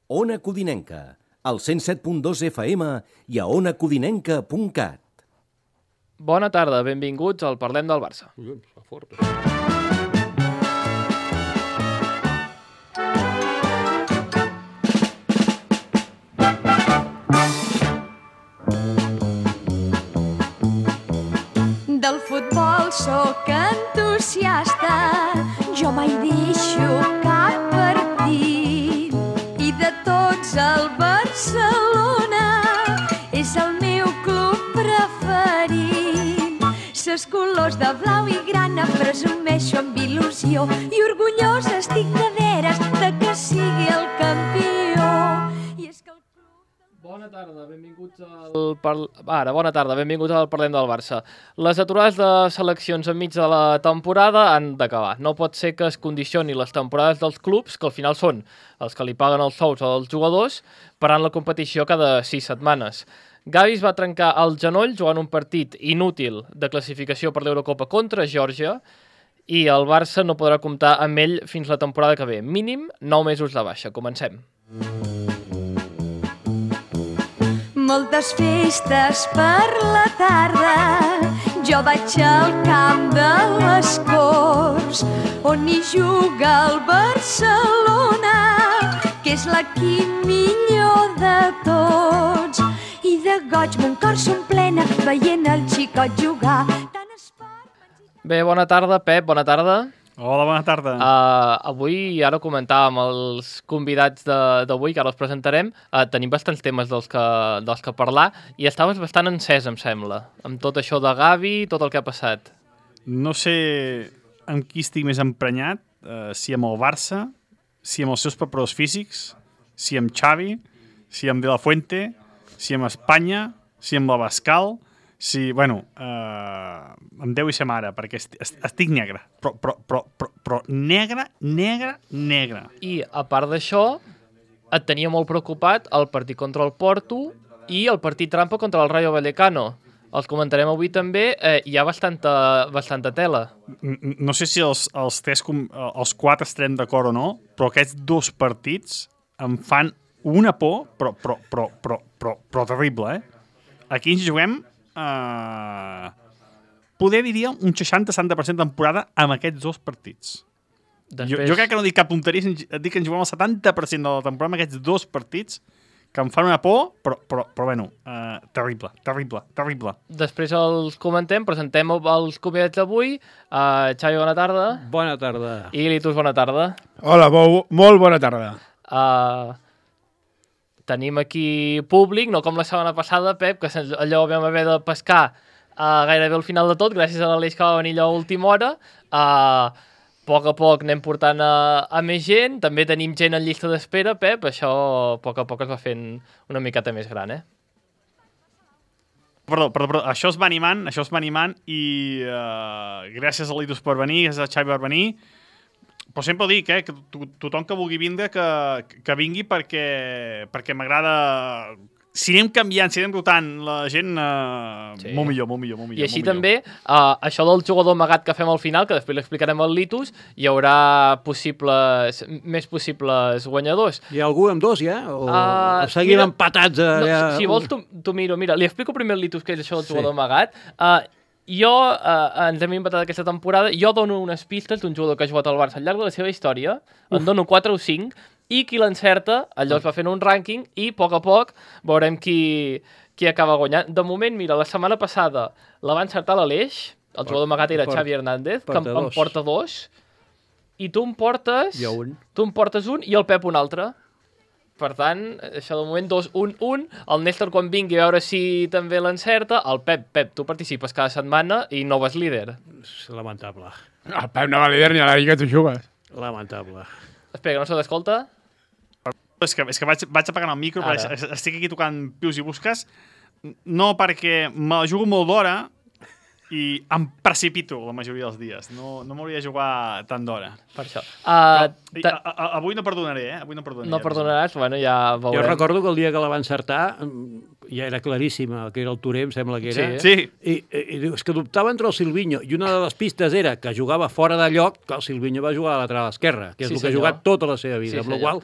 Ona Codinenca, al 107.2 FM i a onacodinenca.cat. Bona tarda, benvinguts al Parlem del Barça. Del futbol sóc entusiasta, jo mai deixo cap partit. I de tots el Barcelona és el meu club preferit. Ses colors de blau i grana presumeixo amb il·lusió i orgullosa estic de veres de que sigui el campió. I és que el club... Bona tarda, benvinguts al Parlem del Barça. Les aturades de seleccions enmig de la temporada han d'acabar. No pot ser que es condicioni les temporades dels clubs, que al final són els que li paguen els sous als jugadors, parant la competició cada 6 setmanes. Gavi es va trencar el genoll jugant un partit inútil de classificació per l'Eurocopa contra Geòrgia i el Barça no podrà comptar amb ell fins la temporada que ve. Mínim 9 mesos de baixa. Comencem. Moltes festes per la tarda, jo vaig al camp de les Corts, on hi juga el Barcelona, que és l'equip millor de tots. I de goig mon cor s'omplena veient el xicot jugar. Bé, bona tarda, Pep, bona tarda. Hola, bona tarda. Avui, ara comentàvem els convidats d'avui, que ara els presentarem. Tenim bastants temes dels que parlar i estaves bastant encès, em sembla, amb tot això de Gavi, tot el que ha passat. No sé amb qui estic més emprenyat, si amb el Barça, si amb els seus preparadors físics, si amb Xavi, si amb De La Fuente, si amb Espanya, si amb l'Abascal... Sí, bueno, em deu i ser mare, perquè estic negre, però negre. I, a part d'això, et tenia molt preocupat el partit contra el Porto i el partit trampa contra el Rayo Vallecano. Els comentarem avui també, hi ha bastanta tela. No sé si els 4 estarem d'acord o no, però aquests 2 partits em fan una por, però terrible, Aquí ens juguem... poder diria un 60-70% de temporada amb aquests 2 partits. Després... Jo crec que no dic cap tonteria, dic que ens juguem el 70% de la temporada amb aquests 2 partits que em fan una por, però bueno, terrible. Després els comentem, presentem els convidats d'avui. Xavi, bona tarda. Bona tarda. I Litus, bona tarda. Hola, molt bona tarda. Tenim aquí públic, no com la setmana passada, Pep, que allò vam haver de pescar gairebé al final de tot, gràcies a l'Aleix que va venir allò a última hora. A poc a poc anem portant a més gent, també tenim gent en llista d'espera, Pep, això a poc es va fent una miqueta més gran, Perdó, això es va animant i gràcies a l'Itus per venir, gràcies a Xavi per venir. Però sempre ho dic, que tothom que vulgui vindre que vingui perquè m'agrada... Si anem canviant, si anem rotant la gent, sí. molt millor. I així també, això del jugador amagat que fem al final, que després l'explicarem al Litus, hi haurà més possibles guanyadors. Hi ha algú amb 2, ja? O seguim empatats allà? No, si vols, t'ho miro. Mira, li explico primer al Litus què és això del jugador amagat. Jo, ens hem inventat aquesta temporada, jo dono unes pistes d'un jugador que ha jugat al Barça al llarg de la seva història, en dono 4 o 5, i qui l'encerta, allò es va fent un rànquing, i a poc veurem qui acaba guanyant. De moment, mira, la setmana passada la va encertar l'Aleix, el jugador amagat era Xavi Hernández, que em porta 2, i tu em portes... Jo un. Tu em portes un i el Pep un altre. Per tant, això de moment 2-1-1, el Néstor quan vingui a veure si també l'encerta, el Pep, tu participes cada setmana i no vas líder. Lamentable. El Pep no va líder ni a la Lliga tu jugues. Lamentable. Espera, que no se t'escolta? És que vaig apagant el micro, perquè estic aquí tocant pius i busques, no perquè me la jugo molt d'hora i em precipito la majoria dels dies. No m'hauria de jugar tant d'hora. Per això. Avui no perdonaré, Avui no perdonaré. No perdonaràs? Bueno, ja veurem. Jo recordo que el dia que la va encertar ja era claríssima, que era el Touré, em sembla que era. Sí. I diu, és que dubtava entre el Silvinho, i una de les pistes era que jugava fora de lloc, que el Silvinho va jugar a la lateral esquerra, que és el que ha jugat tota la seva vida, amb la qual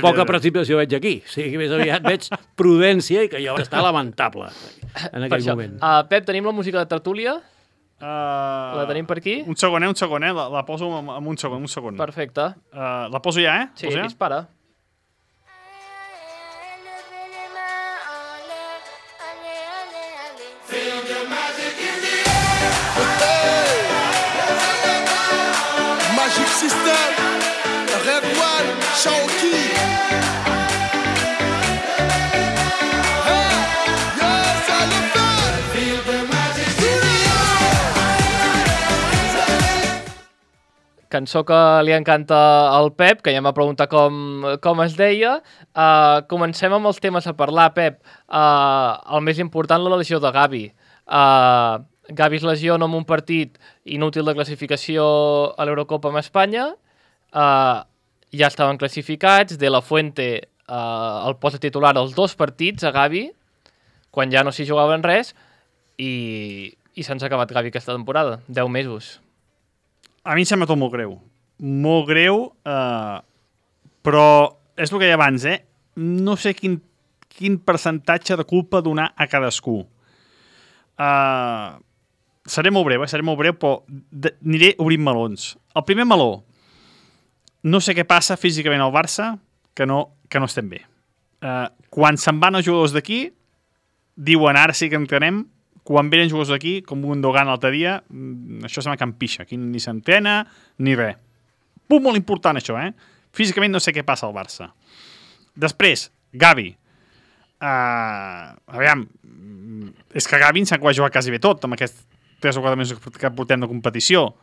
poca precipitació veig aquí. O sigui, més aviat veig prudència i que jo està lamentable en aquell moment. Pep, tenim la música de tertúlia? La tenim per aquí? Un segon, la poso en un segon. Perfecte. La poso ja, Sí, dispara. Magic System, Red One, Shaoki. Hey, yes, I love that. Feel the magic Cançó que li encanta al Pep, que ja m'ha preguntat com es deia. Comencem amb els temes a parlar, Pep. El més important, la lesió de Gavi. Gavi es lesiona en un partit inútil de classificació a l'Eurocopa amb Espanya. Ja estaven classificats. De la Fuente el posa titular els 2 partits a Gavi, quan ja no s'hi jugaven res, i se'ns ha acabat Gavi aquesta temporada. 10 mesos. A mi em sembla tot molt greu. Molt greu, però és el que deia abans, no sé quin percentatge de culpa donar a cadascú. Seré molt breu, però aniré obrint melons. El primer meló, no sé què passa físicament al Barça, que no estem bé. Quan se'n van els jugadors d'aquí, diuen ara sí que entenem, quan venen jugadors d'aquí, com un Dogan l'altre dia, això se m'acampixa, aquí ni s'entena, ni res. Punt molt important, això, Físicament no sé què passa al Barça. Després, Gavi. Aviam, és que Gavi ens ha jugat quasi bé tot, amb aquests 3 o 4 mesos que portem de competició.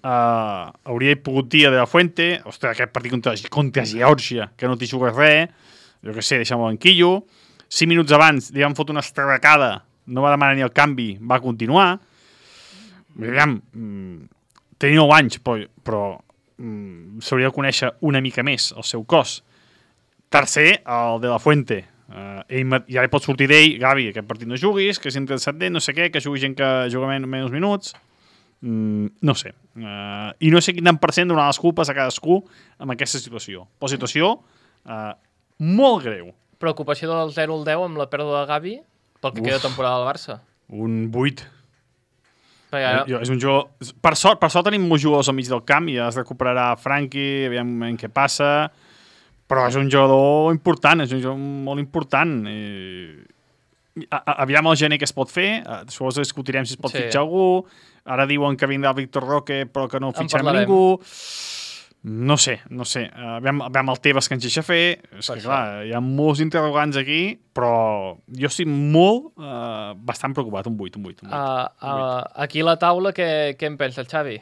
Hauria pogut dir de la Fuente, ostres, aquest partit contra Geòrgia, que no t'hi jugues res, jo què sé, deixa'm el banquillo. 5 minuts abans li van fotre una estracada, no va demanar ni el canvi, va continuar. Aviam, tenia 9 anys, però s'hauria de conèixer una mica més el seu cos. Tercer, el de la Fuente. Ja li pot sortir d'ell, Gavi, aquest partit no juguis, que si interessat no sé què, que jugui gent que juga menys minuts. No sé. I no sé quin tant % donar les culpes a cadascú amb aquesta situació. Però situació molt greu. Preocupació del 0 al 10 amb la pèrdua de Gavi pel que queda temporada del Barça. Un 8. És un jugador... Per sort tenim molts jugadors al mig del camp i ja es recuperarà Franqui, aviam què passa... Però és un jugador important, és un jugador molt important. Aviam el gener que es pot fer, després discutirem si es pot fitxar algú. Ara diuen que vindrà Víctor Roque però que no fitxarem ningú. No sé. Aviam el Tebas que ens deixa fer. És que clar, hi ha molts interrogants aquí, però jo estic bastant preocupat, un 8. Aquí a la taula, què en pensa el Xavi?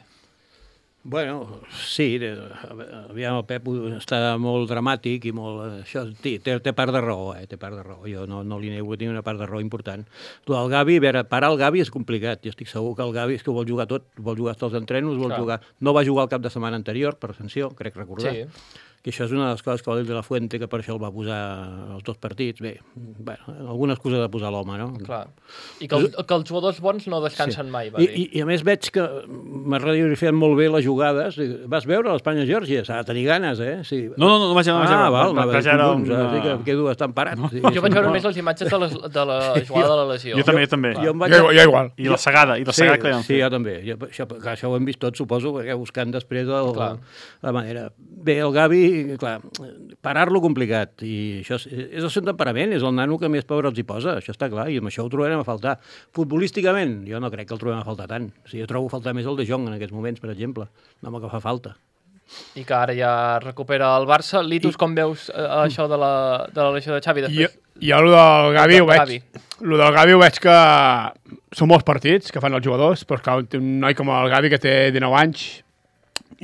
Bueno, sí, aviam, el Pep està molt dramàtic i molt... Això, té part de raó, té part de raó. Jo no li nego que tingui una part de raó important. El Gavi, a veure, parar el Gavi és complicat. Jo estic segur que el Gavi és que ho vol jugar tot, vol jugar tots els entrenos, vol jugar... No va jugar el cap de setmana anterior, per sanció, crec recordar. Sí. Que això és una de les coses que va dir de la Fuente, que per això el va posar els 2 partits. Bé, alguna excusa de posar l'home, no? Clar. I que els jugadors bons no descansen mai, va dir. I a més veig que m'ha fet molt bé les jugades. Vas veure l'Espanya-Geòrgia? S'ha de tenir ganes, Sí. No vaig veure. Val, quedo bastant parat. Jo vaig veure més les imatges de la jugada de la lesió. Jo també. Jo igual. I la segada que li van fer. Sí, jo també. Això ho hem vist tots, suposo, perquè buscant després la manera. Bé, el Gavi, clar, parar-lo complicat, i això és el seu temperament, és el nano que més pobre els hi posa, això està clar, i amb això ho trobarem a faltar. Futbolísticament, jo no crec que el trobem a faltar tant. O sigui, jo trobo a faltar més el De Jong en aquests moments, per exemple, no que fa falta. I que ara ja recupera el Barça. Litus, com veus això de la lesió de Xavi? Jo el del Gavi ho veig que són molts partits que fan els jugadors, però és que un noi com el Gavi que té 19 anys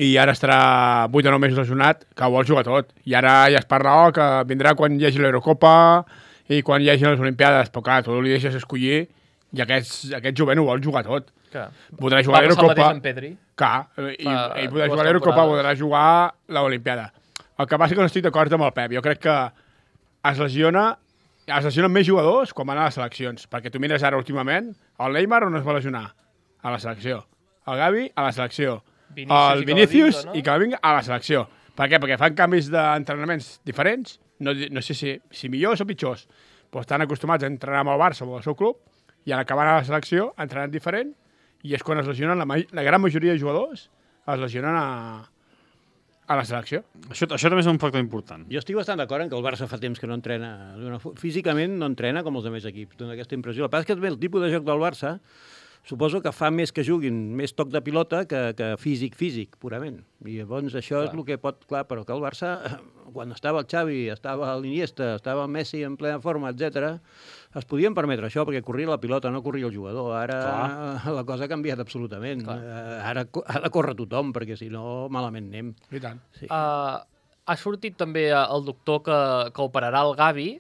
i ara estarà 8 o 9 mesos lesionat, que vol jugar tot. I ara ja es parla que vindrà quan hi hagi l'Eurocopa i quan hi hagi les Olimpiades, però clar, tu li deixes escollir i aquest jovent ho vol jugar tot. Podrà jugar a l'Eurocopa. Ell podrà jugar a l'Eurocopa, podrà jugar l'Olimpiada. El que passa és que no estic d'acord amb el Pep. Jo crec que es lesiona es lesionen més jugadors quan van a les seleccions, perquè tu mires ara últimament, el Neymar on es va lesionar? A la selecció. El Gavi a la selecció. El Vinícius i Camavinga a la selecció. Per què? Perquè fan canvis d'entrenaments diferents, no sé si millors o pitjors, però estan acostumats a entrenar amb el Barça o amb el seu club, i en acabar a la selecció entrenen diferent, i és quan es lesionen la gran majoria de jugadors es lesionen a la selecció. Això també és un factor important. Jo estic bastant d'acord en que el Barça fa temps que no entrena. Físicament no entrena com els altres equips, dona aquesta impressió. El que passa és que el tipus de joc del Barça suposo que fa més que juguin més toc de pilota que físic, purament. I llavors això és el que pot... Clar, però que el Barça, quan estava el Xavi, estava l'Iniesta, estava el Messi en plena forma, etc, es podien permetre això, perquè corria la pilota, no corria el jugador. Ara la cosa ha canviat absolutament. Ara ha de córrer tothom, perquè si no, malament anem. I tant. Sí. Ha sortit també el doctor que operarà el Gavi,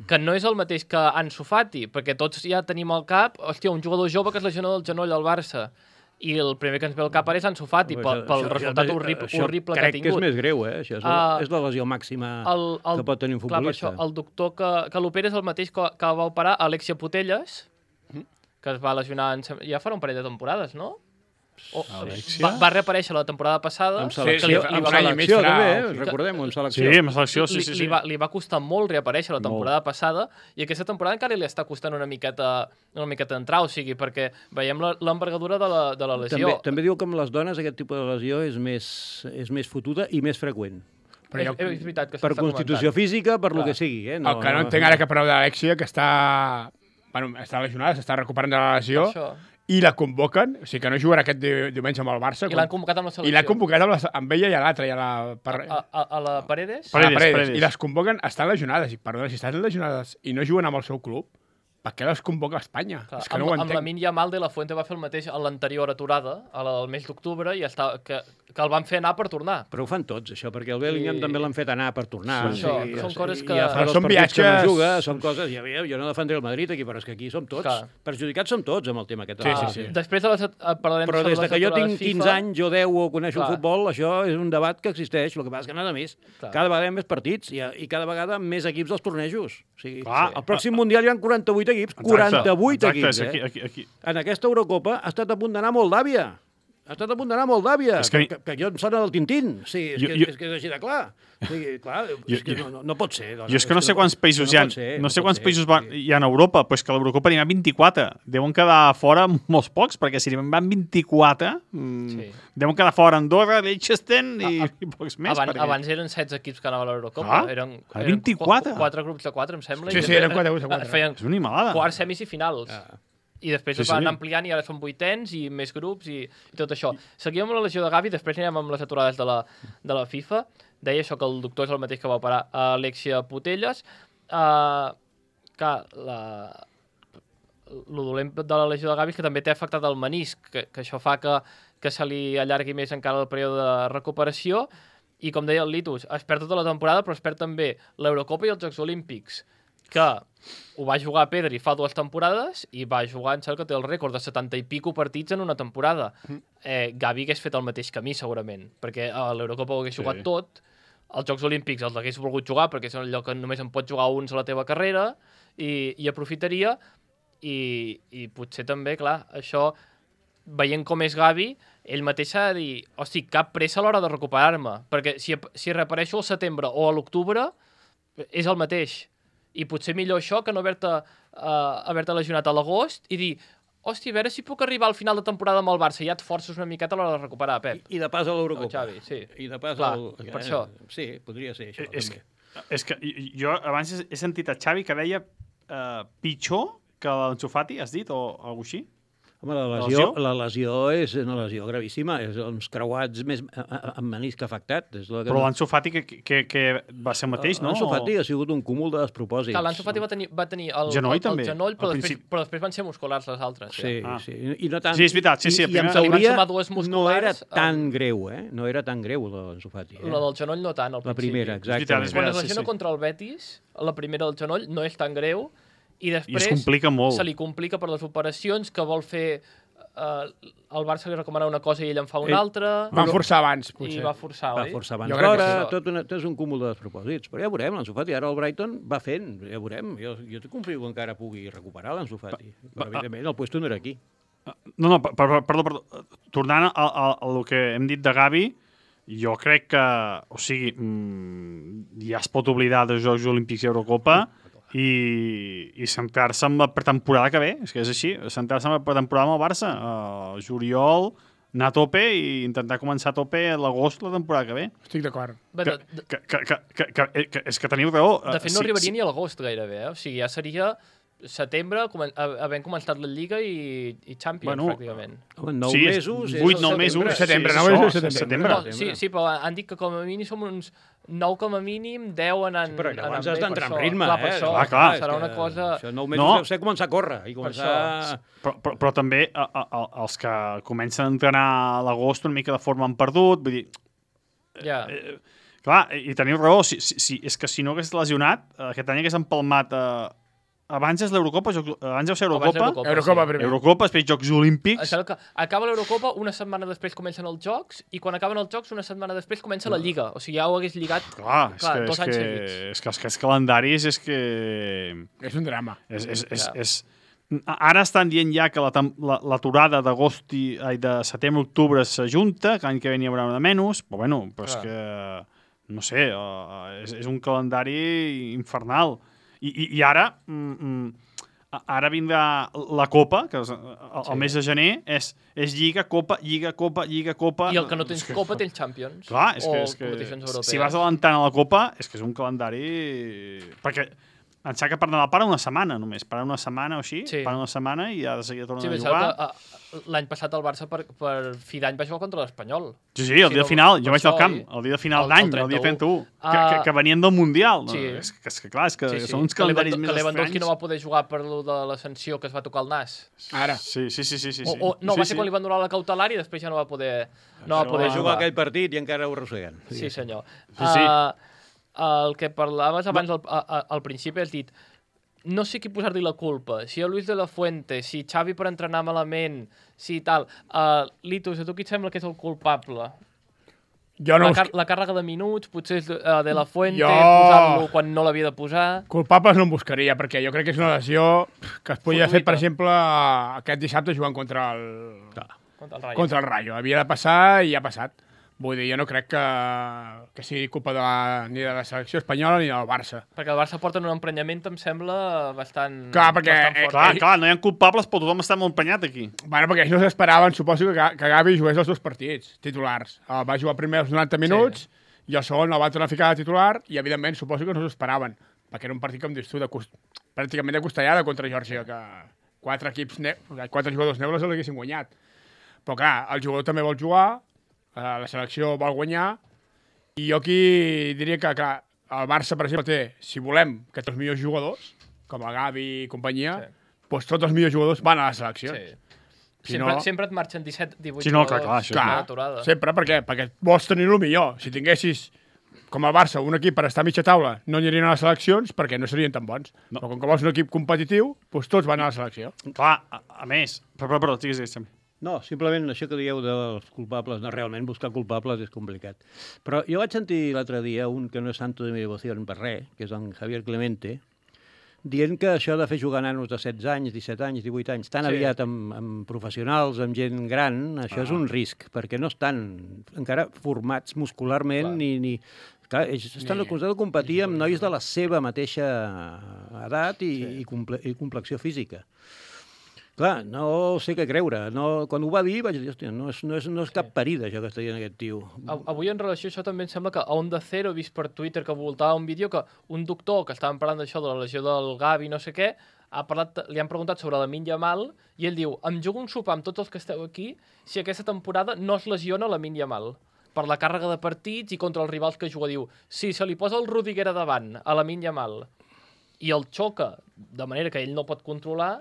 que no és el mateix que Ansu Fati, perquè tots ja tenim al cap, hòstia, un jugador jove que es lesiona del genoll al Barça. I el primer que ens ve al cap ara és Ansu Fati, pel resultat horrible que ha tingut. Crec que és més greu, eh? Això és la lesió màxima que pot tenir un futbolista. Clar, el doctor que l'opera és el mateix que va operar Alexia Putellas, que es va lesionar ja farà un parell de temporades, no? Va reaparèixer la temporada passada. Amb selecció, també, recordem-ho, amb selecció. Sí, amb selecció, sí. Li va costar molt reaparèixer la temporada passada, i aquesta temporada encara li està costant una miqueta d'entrar, o sigui, perquè veiem l'envergadura de la lesió. També diu que amb les dones aquest tipus de lesió és més fotuda i més freqüent. És veritat que per constitució física, per lo que sigui. El que no entenc ara que parleu d'Alexia, que està lesionada, s'està recuperant de la lesió, i la convoquen, o sigui que no jugarà aquest diumenge amb el Barça. I l'han convocat amb la selecció. I l'han convocat amb ella i a l'altra, a la Paredes. Paredes. I les convoquen, estan lesionades. Perdona, si estan lesionades i no juguen amb el seu club, per què les convoca a Espanya? Clar, és que no ho entenc. Amb Lamine Yamal de la Fuente va fer el mateix a l'anterior aturada, a la del mes d'octubre, i que el van fer anar per tornar. Però ho fan tots, això, perquè el Bellingham també l'han fet anar per tornar. Són coses que... Són viatges... Que no juga, són coses... Jo no defendré el Madrid aquí, però és que aquí som tots. Perjudicats som tots amb el tema aquest. Sí. Després parlarem però des que jo tinc 15 anys, jo 10 o coneixo el futbol, això és un debat que existeix. El que passa és que nada més. Cada vegada hi ha més partits i cada vegada més equips dels tornejos. O sigui, al pròxim Mundial hi ha 48 equips. 48 equips, Aquí. En aquesta Eurocopa ha estat a punt d'anar Moldàvia. Que jo em sona del Tintín. Sí, és que és així de clar. No pot ser. Jo és que no sé quants països hi ha. No sé quants països hi ha a Europa, però és que a l'Europa n'hi ha 24. Deuen quedar fora molts pocs, perquè si n'hi van 24, deuen quedar fora Andorra, Liechtenstein i pocs més. Abans eren 16 equips que anaven a l'Eurocopa. Eren 24. 4 grups de 4, em sembla. Sí, eren 4 grups de 4. Feien és una animalada. Quarts, semis i finals. I després es van ampliant i ara són 8ens i més grups i tot això. Seguim amb la lesió de Gavi, després anirem amb les aturades de la FIFA. Deia això que el doctor és el mateix que va operar Alexia Putellas. Que lo dolent de la lesió de Gavi és que també té afectat el menisc, que això fa que se li allargui més encara el període de recuperació. I com deia el Litus, es perd tota la temporada, però es perd també l'Eurocopa i els Jocs Olímpics, que ho va jugar Pedri fa 2 temporades i va jugar, em sembla que té el rècord de 70 i pico partits en una temporada. Gavi hagués fet el mateix camí, segurament, perquè a l'Eurocopa ho hagués jugat tot, als Jocs Olímpics els hagués volgut jugar, perquè és allò que només en pots jugar uns a la teva carrera, i aprofitaria, i potser també, clar, això, veient com és Gavi, ell mateix s'ha de dir, hosti, cap pressa a l'hora de recuperar-me, perquè si reapareixo al setembre o a l'octubre, és el mateix. I potser millor això que no haver-te lesionat a l'agost i dir, hòstia, a veure si puc arribar al final de temporada amb el Barça, ja et forces una miqueta a l'hora de recuperar, Pep. I de pas a l'Eurocopa. Xavi, sí. I de pas per això. Sí, podria ser això. És que jo abans he sentit a Xavi que deia pitjor que l'Ansu Fati, has dit, o alguna cosa així? Home, la lesió és una lesió gravíssima, és uns creuats més amb menisc afectat. Però l'Ansu Fati que va ser el mateix, no? L'Ansu Fati ha sigut un cúmul de despropòsits. L'Ansu Fati va tenir el genoll, però després van ser musculars les altres. Sí. I no tant, sí, és veritat. I en teoria no era tan greu, No era tan greu, l'Ansu Fati. La del genoll no tant, al principi. La primera, exacte. Quan es lesiona contra el Betis, la primera del genoll no és tan greu, i després es complica molt. Se li complica per les operacions que vol fer el Barça li recomanava una cosa i ell en fa una altra. Van forçar abans, I potser. va forçar, Va oi? forçar abans Jo crec que d'hora, sí. tot és un cúmul de despropòsits. Però ja veurem, l'Ansu Fati. Ara el Brighton va fent, ja veurem. Jo confio que encara pugui recuperar l'Ansu Fati. Però, evidentment, el puesto no era aquí. No, perdó. Tornant al que hem dit de Gavi, jo crec que, o sigui, ja es pot oblidar dels Jocs Olímpics i Eurocopa i centrar-se en la pretemporada que ve, és que és així, centrar-se en la pretemporada amb el Barça, juliol, anar a tope i intentar començar a tope a l'agost la temporada que ve. Estic d'acord. Bé, Que és que teniu raó. de fet, no arribaria ni a l'agost gairebé, O sigui, ja seria setembre, havent començat la Lliga i Champions, pràcticament. Home, 9 Sí, mesos... 8-9 mesos. Setembre, sí, 9 mesos, això, setembre. No, sí, però han dit que com a mínim som uns 9 com a mínim, 10 anant... Sí, però llavors anant has bé, d'entrar per en això. ritme, Clar, per això, clar. serà una cosa... Això 9 mesos No. deu ser començar a córrer i començar... Però també els que comencen a entrenar a l'agost una mica de forma han perdut, vull dir, Ja. clar, i teniu raó, és que si no hagués lesionat, aquest any hagués empalmat abans és l'Eurocopa, abans deu ser Eurocopa, Eurocopa primer. Eurocopa, després Jocs Olímpics. Això que acaba l'Eurocopa, una setmana després comencen els Jocs, i quan acaben els Jocs, una setmana després comença la Lliga. O sigui, ja ho hagués lligat Clar, 2 anys seguits. és que els calendaris és que... És un drama. Ara estan dient ja que l'aturada d'agost de setembre-octubre s'ajunta, que l'any que ve n'hi haurà una de menys, però bueno, és Clar. que, no sé, és un calendari infernal. I ara, ara vindrà la Copa, que el mes de gener és Lliga, Copa, Lliga, Copa, Lliga, Copa... I el que no tens Copa tens Champions. Clar, és o que competicions europees. si vas adelantant a la Copa, és que és un calendari... Perquè em sembla que per Nadal para una setmana només, para una setmana o així, Sí. para una setmana i ja de seguida tornen Sí, a penseu jugar. que l'any passat el Barça per fi d'any va jugar contra l'Espanyol. Sí, el dia de final, jo vaig al camp, el dia de final el d'any, el dia 31, que venien del Mundial. No? Sí. És que clar, és que Sí. són uns calendaris més que Lewandowski estranys. no va poder jugar per lo de la sanció que es va tocar el nas. Ara. Sí. No, va ser quan li van donar la cautelar i després ja no va poder jugar jugar. aquell partit i encara ho arrosseguen. Sí, senyor. Sí. El que parlaves abans al principi has dit no sé qui posar-li la culpa, si a Luis de la Fuente, si Xavi per entrenar malament, si tal. Litus, a tu qui et sembla que és el culpable? Jo no... La càrrega de minuts, potser és de la Fuente, Jo- posar-lo quan no l'havia de posar... Culpables no em buscaria, perquè jo crec que és una lesió que es podia fer, per Fortuïta. exemple, aquest dissabte jugant contra el Contra el Rayo. Rayo. Havia de passar i ha passat. Vull dir, jo no crec que sigui culpa ni de la selecció espanyola ni del Barça. Perquè el Barça porta un emprenyament, em sembla, bastant... Clar, perquè, bastant fort. Clar, no hi ha culpables, però tothom està molt emprenyat aquí. Bueno, perquè ells no s'esperaven, suposo, que Gavi jugués els 2 partits titulars. Va jugar primer els 90 minuts i el segon el va tornar a ficar de titular i, evidentment, suposo que no s'ho esperaven. Perquè era un partit, com dius tu, pràcticament de costellada contra Geòrgia, que 4 jugadors neules l'haguessin guanyat. Però, clar, el jugador també vol jugar, la selecció vol guanyar, i jo aquí diria que el Barça, per exemple, té, si volem, que tots els millors jugadors, com el Gavi i companyia, doncs tots els millors jugadors van a la selecció. Sí. Sempre et marxen 17-18 Sí, no, clar, jugadors això, a l'aturada. Sempre, per què? Perquè vols tenir el millor. Si tinguessis, com el Barça, un equip per estar a mitja taula, no anirien a les seleccions perquè no serien tan bons. No. Però com que vols un equip competitiu, doncs tots van a la selecció. Clar, a més... Però, digues, també. No, simplement això que dieu dels culpables, no, realment buscar culpables és complicat. Però jo vaig sentir l'altre dia un que no és santo de mi devoció per res, que és en Javier Clemente, dient que això de fer jugar nanos de 16 anys, 17 anys, 18 anys, tan aviat amb professionals, amb gent gran, això és un risc, perquè no estan encara formats muscularment ni clar, ells estan acusats de competir amb nois de la seva mateixa edat i complexió física. Clar, no sé què creure. Quan ho va dir vaig dir, hòstia, no és cap parida això que està dient aquest tio. Avui en relació a això també em sembla que a Onda Cero he vist per Twitter que voltava un vídeo que un doctor que estàvem parlant d'això, de la lesió del Gavi, no sé què, li han preguntat sobre Lamine Yamal i ell diu, em jugo un sopar amb tots els que esteu aquí si aquesta temporada no es lesiona Lamine Yamal per la càrrega de partits i contra els rivals que juga. Diu, si se li posa el Rudiger a davant a Lamine Yamal i el xoca de manera que ell no pot controlar,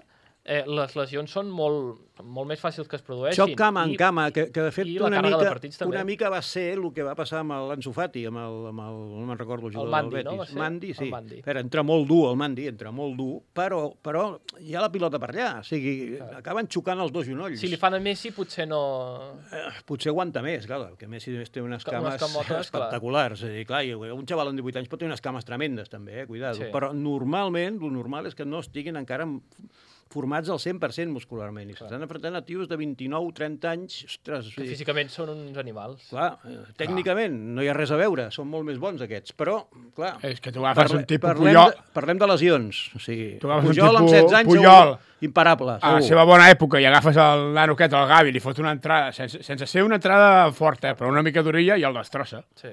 les lesions són molt més fàcils que es produeixin. Xoc cama en cama, que de fet i la càrrega de partits també. una mica va ser el que va passar amb l'Ansu Fati, no me'n recordo el jugador Mandi, del Betis. no? Va ser? Mandi, sí. El Mandi. Però entra molt dur el Mandi, però hi ha la pilota per allà, o sigui, acaben xocant els dos genolls. Si li fan a Messi, potser no... Potser aguanta més, clar, que Messi té unes cames camotes, espectaculars. És a dir, clar, un xaval amb 18 anys pot tenir unes cames tremendes, també, cuidado. Sí. Però normalment, el normal és que no estiguin encara formats al 100% muscularment. I s'estan enfrontant a tios de 29-30 anys. Ostres, Que físicament són uns animals. clar, tècnicament no hi ha res a veure, són molt més bons aquests, però, clar... És que tu agafes un tipus Puyol... Parlem de lesions. O sigui, Tu agafes un Pujol amb tipus 16 anys Puyol. imparable. A la seva bona època i agafes el nano aquest, el Gavi, li fot una entrada, sense ser una entrada forta, però una mica d'orilla i el destrossa. Sí.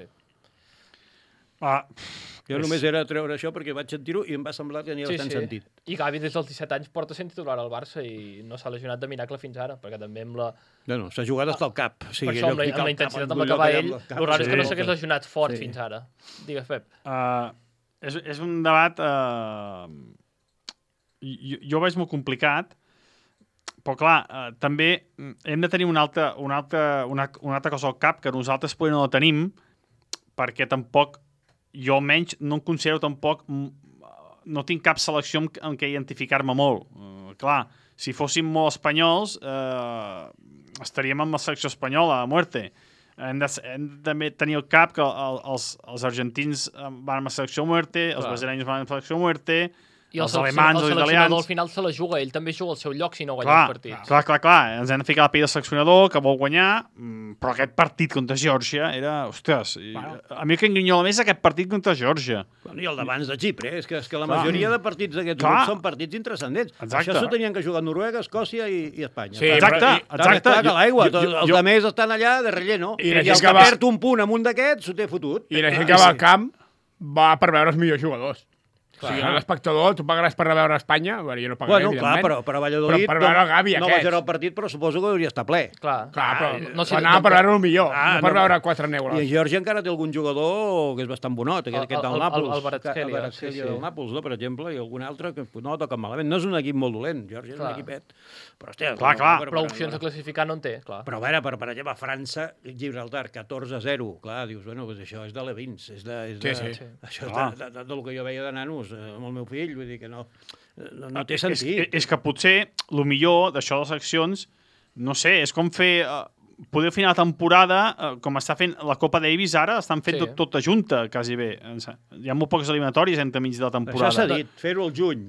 Jo només era treure això perquè vaig sentir-ho i em va semblar que tenia bastant sentit. I Gavi des dels 17 anys porta sent titular al Barça i no s'ha lesionat de miracle fins ara, perquè també amb la... No, s'ha jugat hasta el cap. O sigui, Per això, amb la intensitat amb la que va ell, el raro és que no s'hagués lesionat fort fins ara. Digues, Pep. És un debat... Jo ho veig molt complicat, però clar, també hem de tenir una altra cosa al cap que nosaltres potser no la tenim, perquè tampoc, jo almenys no em considero tampoc, no tinc cap selecció en què identificar-me molt. Clar, si fóssim molt espanyols, estaríem amb la selecció espanyola, a muerte. Hem de també tenir al cap que els argentins van amb la selecció a muerte, els brasileños van amb la selecció a muerte, I els alemans, els italians... al final se la juga, ell també juga al seu lloc si no guanya els partits. Clar, ens hem de ficar la pell del seleccionador que vol guanyar, però aquest partit contra Geòrgia era, ostres, a mi el que engrinyola més és aquest partit contra Geòrgia. I el d'abans de Xipre, és que la majoria de partits d'aquests grups són partits intranscendents. Això s'ho tenien que jugar Noruega, Escòcia i Espanya. Sí, exacte. Clar que l'aigua, els altres estan allà de relleno, i el que perd un punt amb un d'aquests s'ho té fotut. I la gent que va al camp va per veure els millors jugadors. O sigui, l'espectador, tu pagaràs per veure Espanya? Bueno, jo no pagaré, evidentment. Clar, però a Valladolid per veure el Gavi no va ser el partit, però suposo que hauria estar ple. Clar, però anava per veure el millor, no per veure 4 neuros. I en Geòrgia encara té algun jugador que és bastant bonot, aquest del Nàpols. El Kvaratskhelia del Nàpols, per exemple, i algun altre que no toca malament. No és un equip molt dolent, Geòrgia és un equipet. Però, hòstia, però opcions de classificar no en té, clar. Però a veure, per exemple, França, Gibraltar, 14-0. Clar, dius, bueno, això és de Levins. Això és del que jo veia de nanos amb el meu fill. Vull dir que no té sentit. És que potser el millor d'això de les seccions, no sé, és com fer... Poder fer una temporada, com està fent la Copa Davis ara, estan fent tota junta, quasi bé. Hi ha molt poques eliminatòries entre mig de la temporada. Això s'ha dit, fer-ho al juny.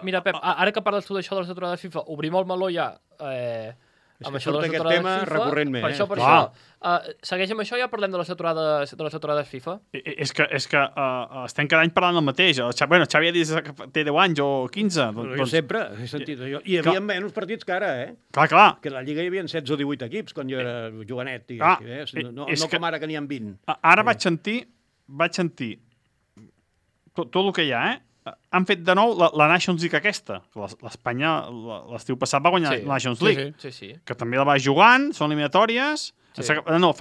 Mira, Pep, ara que parles tu d'això de la saturada de FIFA, obrim el meló ja... amb això de aquest tema recurrentment. Per això. Segueix amb això, ja parlem de la saturada de FIFA. És que estem cada any parlant del mateix. Xavi ha dit que té 10 anys o 15. Jo sempre he sentit això. I hi havia menys partits que ara, Clar. Que a la Lliga hi havia 16 o 18 equips quan jo era jovenet. No com ara que n'hi ha 20. Ara vaig sentir tot el que hi ha, han fet de nou la Nations League aquesta. L'Espanya l'estiu passat va guanyar la Nations League. Sí. Que també la va jugant, són eliminatòries. No,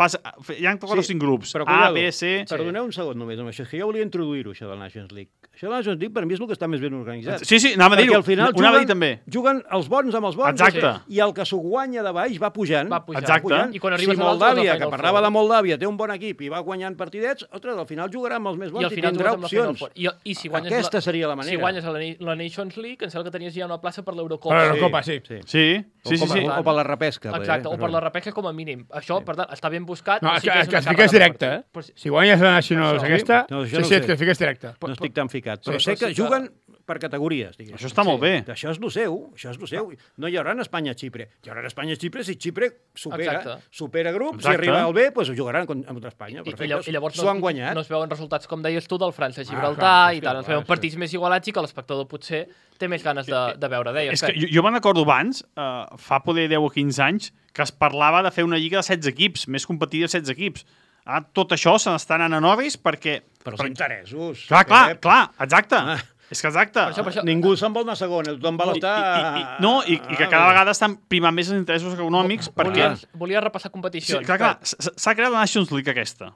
hi ha 4 o 5 grups. A, B, C... Perdoneu un segon només amb això, que jo volia introduir-ho, això de la Nations League. Això de la Nations League per mi és el que està més ben organitzat. Sí, anava a dir-ho. Perquè al final anava a dir també. Juguen els bons amb els bons. Exacte. I el que s'ho guanya de baix va pujant. Exacte. I quan arribes si Moldàvia, que parlava de Moldàvia, té un bon equip i va guanyant partidets, al final jugarà amb els més bons i tindrà opcions. Aquesta seria la manera. Si guanyes la Nations League, em sembla que tenies ja una plaça per l'Eurocopa. Per l'Eurocopa, sí. O per la repesca. Exacte, o per la repesca com a mínim. Això, per tant, està ben buscat. No, que et fiques directe, Si guanyes la Nacionals aquesta, sí, et fiques directe. No estic tan ficat. Però sé que juguen per categories. Això està molt bé. Això és el seu. No hi haurà en Espanya-Xipre. Hi haurà en Espanya-Xipre si Xipre supera grups, si arriba al B, doncs ho jugaran contra Espanya. I llavors s'ho han guanyat. No es veuen resultats, com deies tu, del França-Gibraltar i tal. Es veuen partits més igualats i que l'espectador potser té més ganes de veure. És que jo me'n recordo abans, fa poder 10 o 15 anys, que es parlava de fer una lliga de 16 equips, més competitiva de 16 equips. Tot això se n'està anant a novis perquè... Però són interessos. Clar, exacte. És que exacte. Per això. Ningú se'n vol anar segon, tothom vol estar... I que cada vegada estan primant més els interessos econòmics perquè... Volia repassar competicions. Sí, clar, s'ha creat la Nations League aquesta,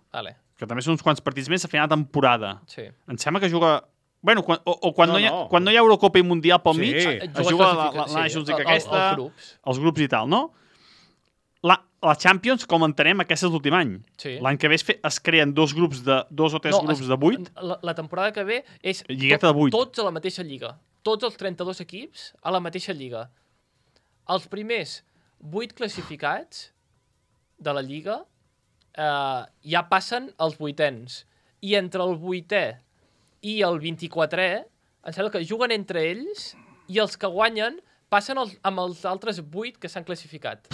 que també són uns quants partits més a final de temporada. Sí. Em sembla que juga Bueno, quan no hi ha Eurocopa i Mundial pel mig, es juga la Nations League aquesta, els grups i tal, no? La Champions, com entenem, aquest és l'últim any. Sí. L'any que ve es creen dos o tres grups de 8. La temporada que ve és Lligueta de 8. Tots a la mateixa lliga. Tots els 32 equips a la mateixa lliga. Els primers 8 classificats de la lliga ja passen als 8ens. I entre el 8è i el 24è, em sembla que juguen entre ells i els que guanyen passen amb els altres 8 que s'han classificat.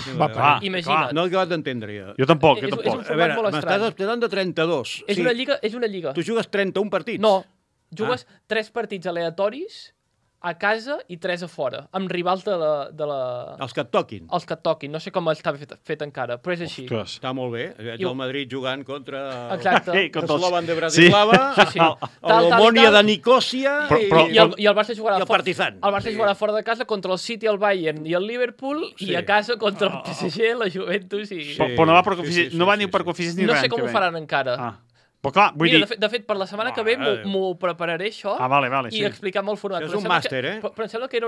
Imagina't. No he acabat d'entendre, jo. Jo tampoc. És un format molt estrany. M'estàs esperant de 32. És una lliga. Tu jugues 31 partits? No, jugues 3 partits aleatoris a casa i 3 a fora, amb rivals de la... Els que et toquin. Els que et toquin. No sé com està fet encara, però és així. Ostres. Està molt bé. Veig el Madrid jugant contra Exacte. Slovan de Bratislava, el Omonia de Nicòsia i el Barça jugarà el Partizan. El Barça jugarà fora de casa contra el City, el Bayern i el Liverpool i a casa contra el PSG, la Juventus i... Però no va per coeficients, no va ni per coeficients ni res. No sé com ho faran encara. Però clar, vull dir... De fet, per la setmana que ve m'ho prepararé, això, i explicar-me el format. Això és un màster, Però em sembla que era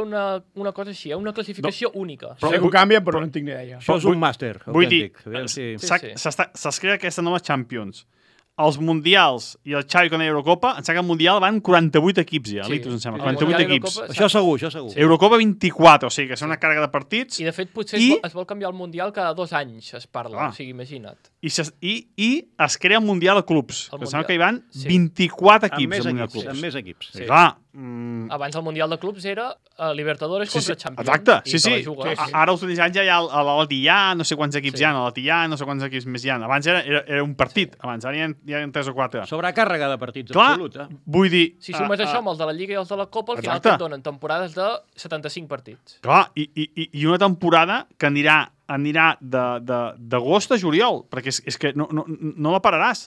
una cosa així, una classificació única. Sé que ho canvien, però no en tinc ni idea. Això és un màster. Vull dir, s'es crea aquesta nova Champions. Els mundials i el Xavi quan hi ha Eurocopa, em sembla que el mundial van 48 equips ja, Litus, em sembla, 48 equips. Això segur. Eurocopa 24, o sigui que és una càrrega de partits. I de fet potser es vol canviar el mundial cada 2 anys, es parla, o sigui, imagina't. I es crea el mundial de clubs, que sembla que hi van 24 equips al mundial de clubs. Amb més equips. Sí. Clar. Abans el mundial de clubs era Libertadores contra Champions. Exacte, sí. Ara els últims anys ja hi ha l'Altillà, no sé quants equips hi ha, l'Altillà, no sé quants equips més hi ha. Abans era un partit, abans ara hi ha 3 o 4. Sobrecàrrega de partits, clar, absolut. Vull dir... Si sumes això amb els de la Lliga i els de la Copa, al final et donen temporades de 75 partits. Clar, i una temporada que anirà d'agost a juliol, perquè és que no la pararàs,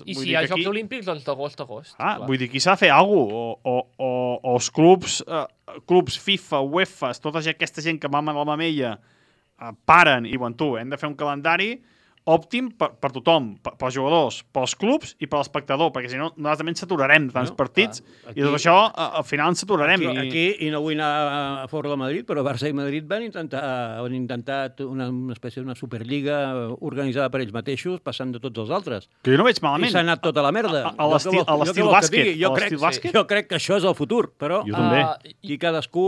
I si hi ha Jocs Olímpics, doncs d'agost a agost. Vull dir, aquí s'ha de fer alguna cosa, o els clubs FIFA, UEFA, tota aquesta gent que mama la mamella, paren i, bueno, hem de fer un calendari òptim per tothom, pels jugadors, pels clubs i per l'espectador, perquè si no, nosaltres també ens saturarem de tants partits i tot això, al final ens saturarem. Aquí, i no vull anar a fora de Madrid, però Barça i Madrid han intentat una espècie d'una superliga organitzada per ells mateixos, passant de tots els altres. Que jo no veig malament. I s'ha anat tota la merda. A l'estil bàsquet. Jo crec que això és el futur, però aquí cadascú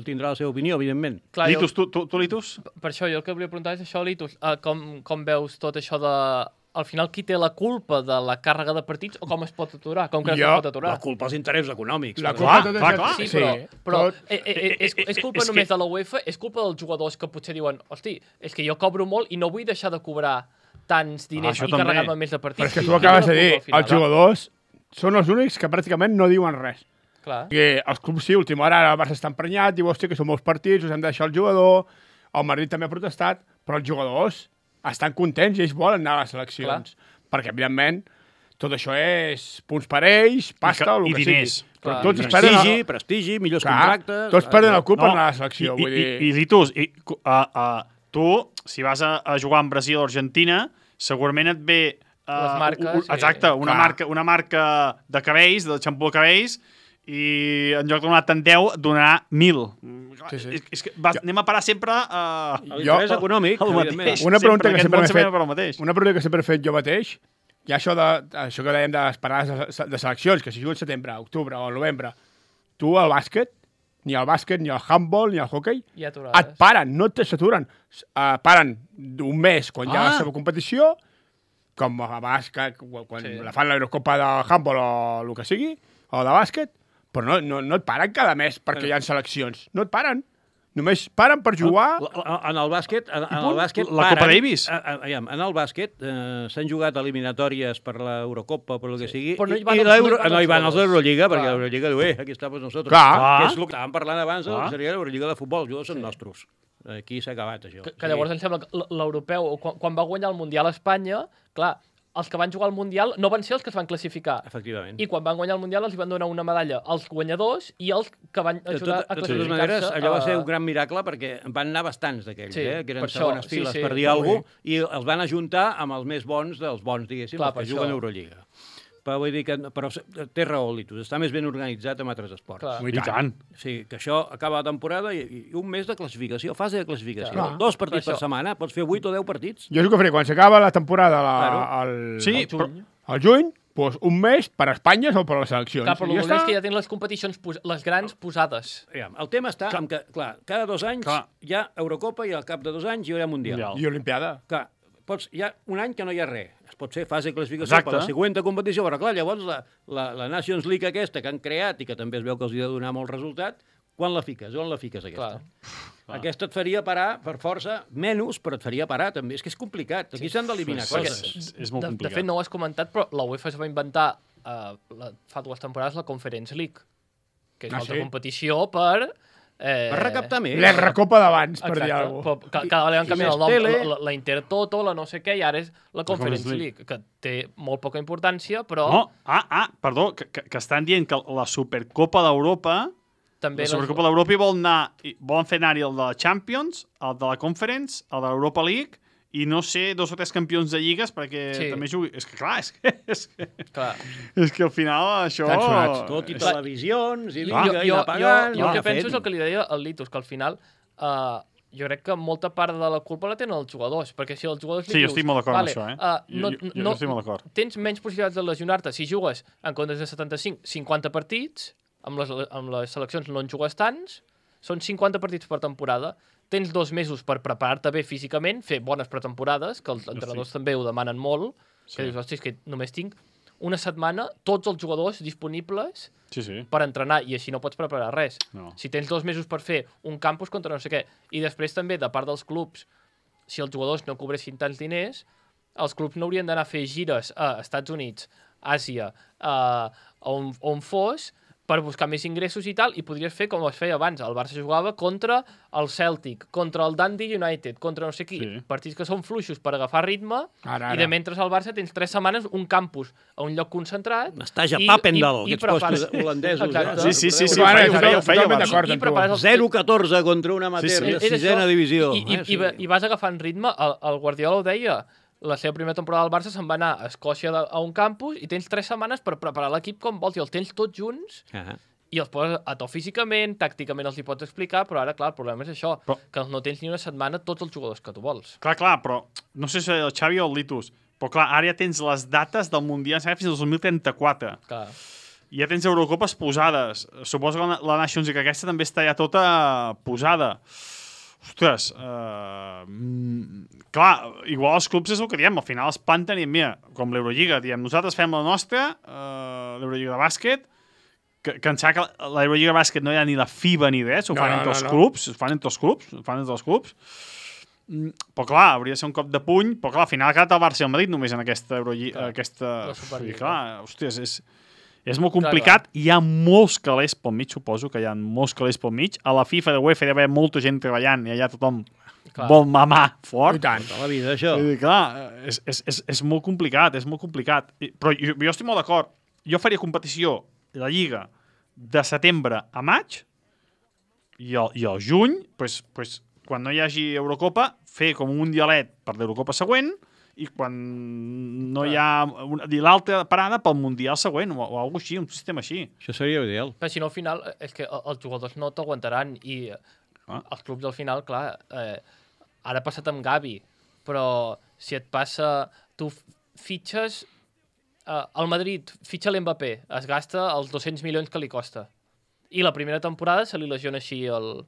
tindrà la seva opinió, evidentment. Litus, tu Litus? Per això, jo el que volia preguntar és això, Litus, com veus tot això de... Al final, qui té la culpa de la càrrega de partits o com es pot aturar? Com que no es pot aturar? La culpa als interessos econòmics. La culpa clar. Sí, però és culpa només de la UEFA, és culpa dels jugadors que potser diuen hosti, és que jo cobro molt i no vull deixar de cobrar tants diners i carregar-me més de partits. Però és que tu acabes de dir, els jugadors són els únics que pràcticament no diuen res. Clar. Perquè els clubs sí, última hora, ara el Barça està emprenyat, diu, hòstia, que són molts partits, us hem de deixar el jugador, el Madrid també ha protestat, però els jugadors estan contents i ells volen anar a les seleccions. Clar. Perquè, evidentment, tot això és punts per ells, pasta, o el que sigui. Però tots prestigi, millors contractes... Tots perden el cul per anar a la selecció. I Litus, tu, si vas a jugar en Brasil o Argentina, segurament et ve... les marques. Exacte, una marca de cabells, de xampú de cabells, i en lloc de donar tant 10, donarà 1.000. És que anem a parar sempre a l'interès econòmic. Una pregunta que sempre he fet jo mateix, i això que dèiem de les parades de seleccions, que si juguen setembre, octubre o novembre, tu al bàsquet, ni al bàsquet, ni al handball, ni al hoquei, et paren, no s'aturen. Paren un mes quan hi ha la seva competició, com a bàsquet, quan la fan l'Eurocopa de handball o el que sigui, o de bàsquet, però no et paren cada mes perquè hi ha seleccions. No et paren. Només paren per jugar... En el bàsquet la Copa Davis. En el bàsquet s'han jugat eliminatòries per l'Eurocopa, per el que sigui, no hi van els d'Eurolliga, perquè l'Eurolliga diu, aquí està per nosaltres. Que és el que estàvem parlant abans, seria l'Eurolliga de futbol, els jugadors són nostres. Aquí s'ha acabat, això. Que llavors em sembla que l'europeu, quan va guanyar el Mundial a Espanya, clar, els que van jugar al Mundial no van ser els que es van classificar. Efectivament. I quan van guanyar el Mundial els van donar una medalla als guanyadors i els que van ajudar a classificar-se. De totes maneres, allò va ser un gran miracle perquè van anar bastants d'aquells, que eren segones files per dir alguna cosa, i els van ajuntar amb els més bons dels bons, diguéssim, els que juguen a Eurolliga. però vull dir que... Però té raó, Litus, està més ben organitzat amb altres esports. Clar. I tant. Sí, que això acaba la temporada i un mes de classificació, fase de classificació. Clar. 2 partits Per per això. setmana, pots fer 8 o 10 partits. Jo és el que faré, quan s'acaba la temporada Sí, però... al juny, doncs un mes per a Espanya o per a les seleccions. Clar, però I el dolent és que ja tenen les competicions, les grans posades. Aviam, el tema està en que, clar, cada 2 anys hi ha Eurocopa i al cap de 2 anys hi haurà Mundial. I Olimpiada. Clar, hi ha un any que no hi ha res. Es pot fer fase de classificació Exacte. per la següent competició, però clar, llavors la Nations League aquesta que han creat i que també es veu que els ha de donar molt resultat, quan la fiques? On la fiques, aquesta? Aquesta et faria parar, per força, menys, però et faria parar, també. És que és complicat. Aquí s'han d'eliminar coses. És molt De complicat. fet, no ho has comentat, però la UEFA es va inventar fa 2 temporades la Conference League, que és una altra competició per... Per recaptar més. La recopa d'abans, per dir Exacte, alguna cosa. però cada vegada han canviat el nom, tele. la Intertoto, la no sé què, i ara és la Conference League, que té molt poca importància, però No, perdó, que estan dient que la Supercopa d'Europa... també... La Supercopa d'Europa volen fer anar-hi el de la Champions, el de la Conference, el de l'Europa League, i no sé, 2 o 3 campions de lligues perquè també jugui... És que, clar, és que al final això... Estan sonats. Tot i televisions, i Jo liga, i anar pagant... el que penso és el que li deia al Litus, que al final jo crec que molta part de la culpa la tenen els jugadors, perquè si els jugadors li Sí, jo dius... estic molt d'acord amb això, jo estic molt d'acord. Tens menys possibilitats de lesionar-te si jugues en comptes de 75, 50 partits, amb les seleccions no en jugues tants, són 50 partits per temporada, tens 2 mesos per preparar-te bé físicament, fer bones pretemporades, que els entrenadors també ho demanen molt, que dius, hosti, és que només tinc una setmana tots els jugadors disponibles per entrenar, i així no pots preparar res. Si tens 2 mesos per fer un campus contra no sé què, i després també, de part dels clubs, si els jugadors no cobressin tants diners, els clubs no haurien d'anar a fer gires a Estats Units, Àsia, on fos, per buscar més ingressos i tal, i podries fer com es feia abans. El Barça jugava contra el Celtic, contra el Dundee United, contra no sé qui. Partits que són fluixos per agafar ritme, i de mentre al Barça tens 3 setmanes un campus a un lloc concentrat. M'estàs a Papendal, aquests postos holandesos. Sí, ho feia d'acord amb tu. 0-14 contra un amateur de 6a divisió. I vas agafant ritme. El Guardiola ho deia, la seva primera temporada al Barça se'n va anar a Escòcia a un campus i tens 3 setmanes per preparar l'equip com vols, i els tens tots junts i els poses a to físicament, tàcticament els hi pots explicar, però ara, clar, el problema és això, que no tens ni una setmana tots els jugadors que tu vols. Clar, però no sé si el Xavi o el Litus, però clar, ara ja tens les dates del Mundial fins al 2034. Clar. I ja tens Eurocopas posades. Suposo que la Nations League aquesta també està ja tota posada. Ostres, clar, igual els clubs és el que diem, al final es planten i mira, com l'Eurolliga, diem, nosaltres fem la nostra, l'Eurolliga de bàsquet, que em sembla que l'Eurolliga de bàsquet no hi ha ni la FIBA ni res, ho fan entre els clubs, ho fan entre els clubs, però clar, hauria de ser un cop de puny, però clar, al final ha quedat el Barça i el Madrid només en aquesta Eurolliga, i clar, hòsties, és molt complicat, hi ha molts calés pel mig, suposo que hi ha molts calés pel mig. A la FIFA de UEFA hi ha d'haver molta gent treballant i allà tothom vol mamar fort. I tant, a la vida, això. Clar, és molt complicat, és molt complicat. Però jo estic molt d'acord. Jo faria competició de la Lliga de setembre a maig i al juny, quan no hi hagi Eurocopa, fer com un mundialet per l'Eurocopa següent, i quan no hi ha l'altra parada pel Mundial següent o alguna cosa així, un sistema així. Això seria ideal. Però si no, al final, és que els jugadors no t'aguantaran i els clubs al final, clar, ara ha passat amb Gavi, però si et passa, tu fitxes el Madrid, fitxa l'Mbappé, es gasta els 200 milions que li costa. I la primera temporada se li lesiona així el...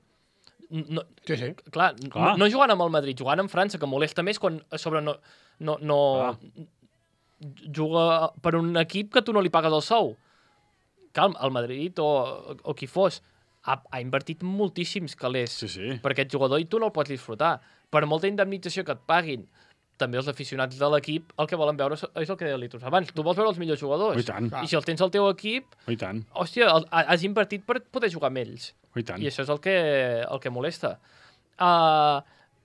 Clar, no jugant amb el Madrid, jugant amb França, que molesta més quan a sobre no juga per un equip que tu no li pagues el sou. Clar, el Madrid o qui fos ha invertit moltíssims calés per aquest jugador i tu no el pots disfrutar. Per molta indemnització que et paguin, també els aficionats de l'equip el que volen veure és el que deia Litus abans. Tu vols veure els millors jugadors. I si els tens al teu equip, hòstia, has invertit per poder jugar amb ells. I això és el que molesta.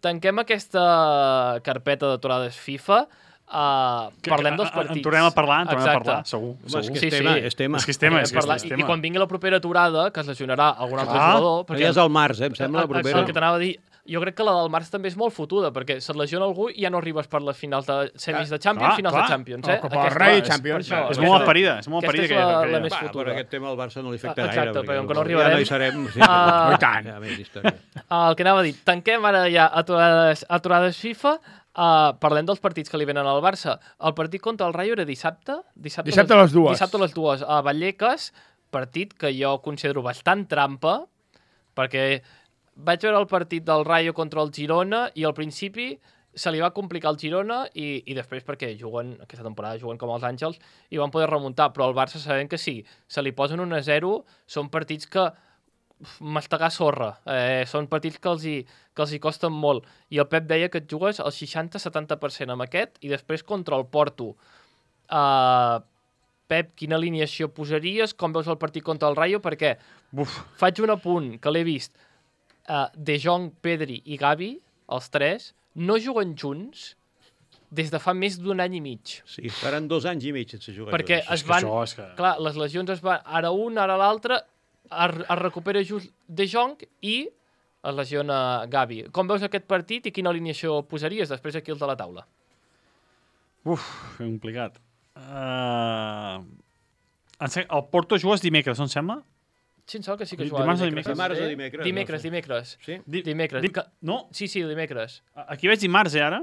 Tanquem aquesta carpeta d'aturades FIFA. Parlem dels partits. En tornem a parlar, segur. És tema. I quan vingui la propera aturada, que es lesionarà algun altre jugador... Ja és al març, em sembla, la propera. El que t'anava a dir, jo crec que la del març també és molt fotuda, perquè se't lesiona algú i ja no arribes per les finals de semis de Champions, finals de Champions. O Copa del Rei, Champions. És molt aparida, és molt aparida. Aquesta és la més Per fotuda. aquest tema al Barça no li afecta gaire. Exacte, perquè com que no ja arribarem... no hi serem. Sí, I tant. ja més història. El que anava a dir, tanquem ara ja aturades FIFA, parlem dels partits que li venen al Barça. El partit contra el Rayo era dissabte? Dissabte a les 2. Dissabte a les 2, a Vallecas, partit que jo considero bastant trampa, perquè vaig veure el partit del Rayo contra el Girona i al principi se li va complicar el Girona i després perquè aquesta temporada juguen com els Àngels i van poder remuntar, però el Barça sabem que sí, se li posen 1-0, són partits que mastegar sorra, són partits que els hi costen molt, i el Pep deia que et jugues el 60-70% amb aquest i després contra el Porto. Pep, quina alineació posaries? Com veus el partit contra el Rayo? Perquè faig un apunt que l'he vist. De Jong, Pedri i Gavi, els tres, no juguen junts des de fa més d'un any i mig. Sí, faran 2 anys i mig sense jugar. Perquè es van... Clar, les lesions es van... Ara un, ara l'altre, es recupera just De Jong i es lesiona Gavi. Com veus aquest partit i quina alineació posaries després aquí els de la taula? Complicat. El Porto jugues dimecres, no em sembla? Sí, em sembla que sí que Dimarts o dimecres. Dimarts o dimecres? Dimecres. Sí? Dimecres. No, Sí, dimecres. aquí veig dimarts, ara.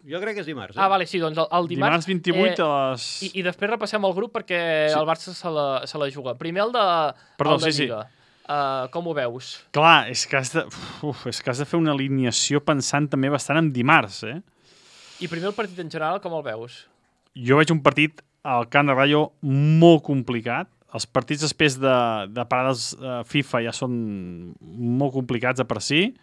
Jo crec que és dimarts. Vale, sí, doncs el dimarts... Dimarts 28 a les... I després repassem el grup perquè el Barça se la juga. Primer el de Lliga. Com ho veus? Clar, és que has de fer una alineació pensant també bastant en dimarts, I primer el partit en general, com el veus? Jo veig un partit al Camp de Rayo molt complicat. Els partits després de parades FIFA ja són molt complicats de per si.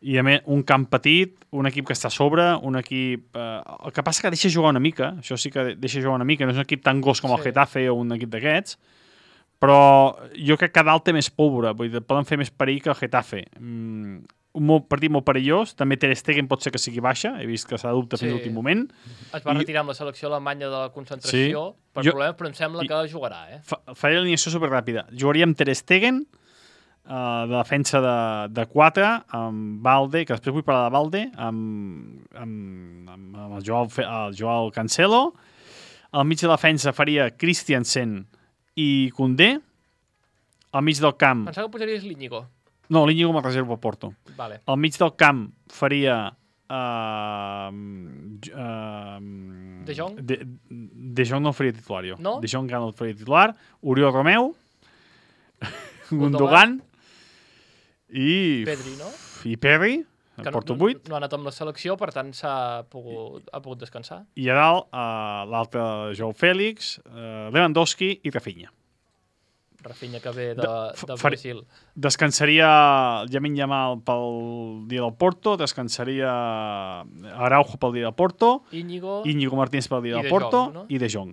I a més, un camp petit, un equip que està a sobre, un equip... el que passa que deixa jugar una mica, això sí que deixa jugar una mica, no és un equip tan gos com el Getafe o un equip d'aquests, però jo crec que dalt té més pólvora, vull dir, poden fer més perill que el Getafe. Un partit molt perillós, també Ter Stegen pot ser que sigui baixa, he vist que s'ha de dubte fins a l'últim moment. Es va retirar amb la selecció alemanya de la concentració per problemes, però em sembla que jugarà. Faré l'alineació superràpida. Jugaria amb Ter Stegen, de defensa de 4, amb Balde, que després vull parlar de Balde, amb el Joao Cancelo. Al mig de defensa faria Christiansen i Koundé. Al mig del camp... Pensava que posaries l'Íñigo. No, l'Íñigo me'l reservo a Porto. Vale. Al mig del camp faria... De Jong? De Jong no el faria titular, jo. No? De Jong no el faria titular. Oriol Romeu, Gundogan i... Pedri, no? I Pedri, Que Porto no 8. ha anat amb la selecció, per tant ha pogut descansar. I a dalt, l'altre Joao Fèlix, Lewandowski i Rafinha. Rafinha que ve de Brasil. Descansaria Lamine Yamal pel dia del Porto, descansaria Araujo pel dia del Porto, Íñigo Martínez pel dia i del De Porto Jong, no? i De Jong.